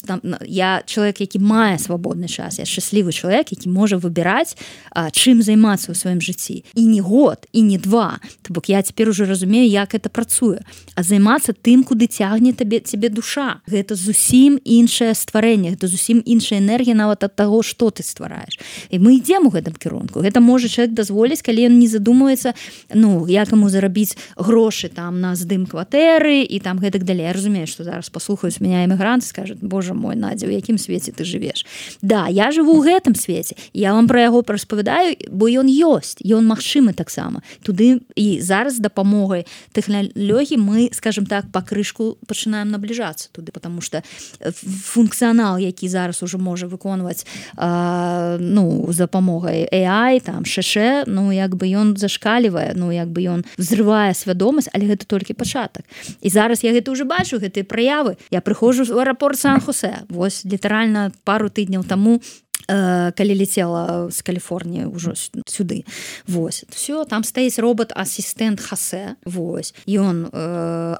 Я чалавек, які мае свабодны час. Я шчаслівы чалавек, які можа выбіраць, чым займацца ў сваім жыцці. І не год, і не два. То бок я цяпер ужо разумею, як гэта працуе. А займацца тым, куды цягне цябе душа. Гэта зусім іншае стварэнне, гэта зусім іншая энергія нават ад таго, што ты ствараеш. І мы ідзем у гэтым кірунку. Гэта можа чалавек дазволіць, калі ён не задумваецца, як яму зарабіць грошы там на здым кватэры і там гэтак далей. Я разумею, што зараз паслухаюць мяне эмігранты, скажуць: "Боже мой, Надзя, у якім свеце ты жывеш?" Да, я жыву ў гэтым свеце. Я вам пра яго распавядаю, бо ён ёсць, ён магчымы таксама. Туды і зараз з дапамогай тэхналогій мы, скажем так, пакрышку пачынаем набліжацца туды, потому что функцыянал, які зараз уже можа выконваць з дапамогай AI, там ШШ, як бы ён зашкалівае, як бы ён взрывае свядомасць, але гэта толькі пачатак. І зараз я гэта уже бачу, гэтыя праявы. Я прыходжу ў аэрапорт Сан-Хосе. Вось літаральна пару тыдняў таму калі летела з Каліфорніі ўжо сюды. Вось. Все, там стаіць робот-асістэнт Хасе. Вось. Ён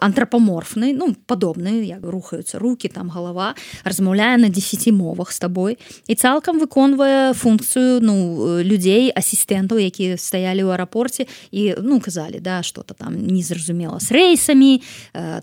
антрапаморфны, ну, падобны, як рухаюцца рукі, там галава, размаўляе на 10 мовах з табой і цалкам выконвае функцыю, ну, людзей, асістэнтаў, якія стаялі ў аэрапорце і, ну, казалі, да, што-то там незразумела з рэйсамі,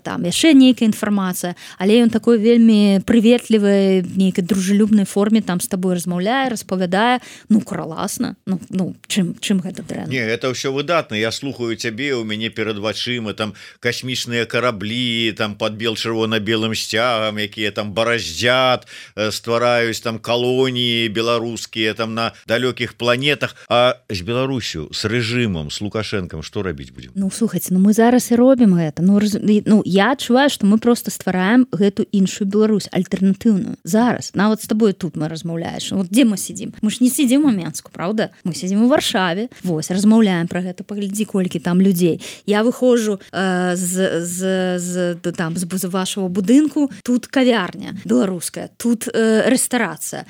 там яшчэ нейкая інфармацыя, але ён такой вельмі прыветлівай, нейкай дружелюбнай форме там з табой размаўляе, распавядае, ну, класна, ну, чым гэта дрэнна? Не, это ўсё выдатна, я слухаю цябе, у мяне перад вачыма там касмічныя караблі, там пад чырвона-белым сцягам, якія там бараздзят, ствараюць там калоніі беларускія там на далёкіх планетах, а з Беларусю, з рэжымам, з Лукашэнкам што рабіць будзем? Ну, слухайце, ну мы зараз і робім гэта. Ну, я адчуваю, што мы просто ствараем гэту іншую Беларусь, альтэрнатыўную. Зараз, нават з табой тут мы размаўляеш. Вот дзе мы сидзім? Мы ж не сидзім у Менску, правда? Мы сидзім у Варшаве. Вось, размаўляем пра гэта, паглядзі, колькі там людзей. Я выходжу з вашего будынку, тут кавярня беларуская, тут рэстарацыя,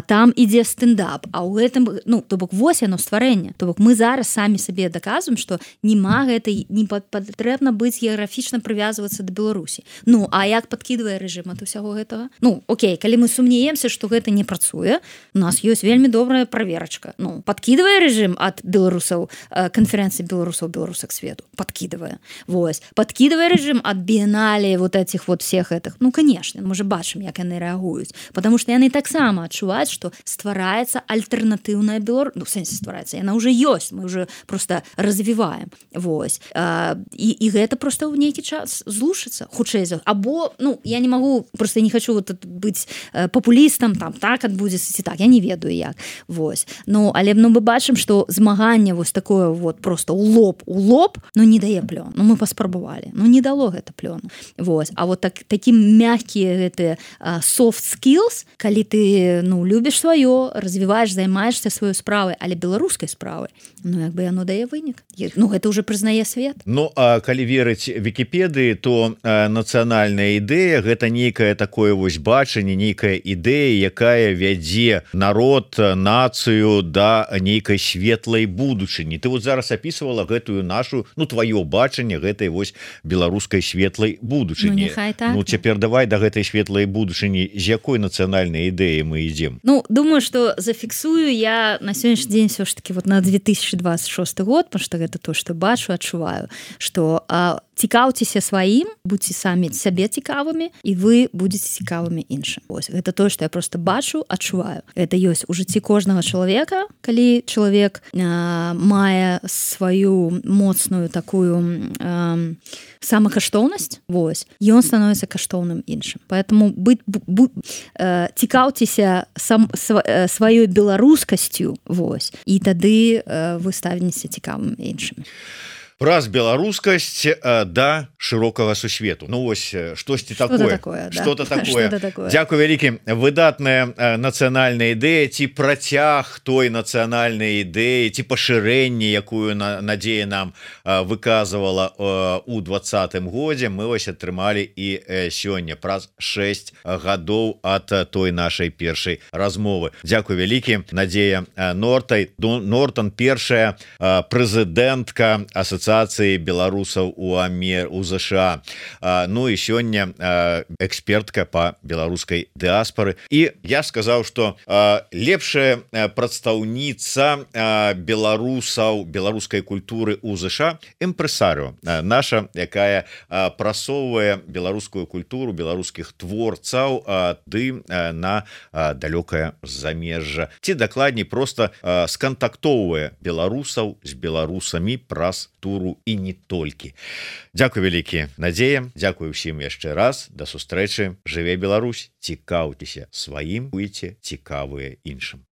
там ідзе стендап, а ў гэтым, ну, то бок, вось яно стварэнне. То бок, мы зараз самі сабе даказваем, што нема гэтай, не патрэбна быць геаграфічна прывязвацца да Беларусі. Ну, а як падкідвае рэжым ад усяго гэтага? Ну, окей, калі мы сумнеемся, што гэта не працуе, у нас ёсць вельмі добрая праверачка. Ну, падкідвае рэжым ад беларусаў, канферэнцыі беларусак свету? Падкідвае. Вось. Падкідвае рэжым ад біенале вот этих вот всех этих? Ну, конечно, мы же бачым, як яны рэагуюць. Потому что яны таксама адчуваюць, што ствараецца альтэрнатыўная Беларусь. Ну, в сэнсе ствараецца. Яна уже ёсць. Мы уже просто развіваем. Вось. І гэта просто ў нейкі час злушыцца. Хутчэй за... Або, ну, я не могу, просто не хочу вот быць папулістам, там, так адбудзецца ці так. Я не ведаю як. Вось. Ну, але ну, мы бачым, што змаганне вось такое вот просто у лоб, ну, не дае плён. Ну, мы паспрабавалі. Ну, не дало гэта плёну. Вось. А вот такі мягкія гэтыя soft skills, калі ты, ну, любіш сваё, развіваеш, займаешься сваёй справай, але беларускай справай, ну, як бы яно дае вынік. Ну, гэта уже прызнае свет. Ну, а калі верыць Вікіпедыі, то нацыянальная ідэя гэта нейкае такое вось бачанне, нейкая ідэя, якая вядзе народ, нацыю да нейкай светлай будучыні. Ты вот зараз опісвала гэтую нашу, ну, тваё бачанне гэтай вось беларускай светлай будучыні. Ну, так. Ну, цяпер давай да гэтай светлай будучыні, з якой нацыянальнай ідэі мы ідзем? Ну, думаю, што зафіксую я на сённяшні дзень все ж таки вот на 2026 год, потому что гэта то, што бачу, адчуваю, што цікаўцеся сваім, будьце самі сабе цікавымі, і вы будзеце цікавымі іншым. Вось, гэта тое, што я просто бачу, адчуваю. Гэта ёсць у жыцці кожнага чалавека, калі чалавек мае сваю моцную такую самакаштоўнасць, вось, ён становіцца каштоўным іншым. Поэтому цікаўцеся сваёй беларускасцю, вось, і тады вы станеце цікавым іншым. Праз беларускасць да шырокага сусвету. Ну вось штосьці такое. Что-то такое. Дзякуй вялікі. Выдатная нацыянальная ідэя, ці працяг той нацыянальнай ідэі, ці пашырэнне, якую Надзея нам выказывала у 2020 годзе, мы вось атрымалі і сёння праз 6 гадоў ад той нашай першай размовы. Дзякуй вялікі. Надзея Нортон, першая прэзідэнтка асацыяцыі беларусаў у ЗША. Ну і сёння экспертка по беларускай дыаспары. І я сказаў, што лепшая прадстаўніца беларусаў, беларускай культуры у ЗША імпрэсарыо наша, якая прасоўвае беларускую культуру, беларускіх творцаў ды на далёкае замежжа. Ці дакладней проста скантактоўвае беларусаў з беларусамі праз туру і не толькі. Дзякуй вялікі, Надзея. Дзякуй усім яшчэ раз. Да сустрэчы. Жыве Беларусь. Цікаўцеся сваім, будзьце цікавыя іншым.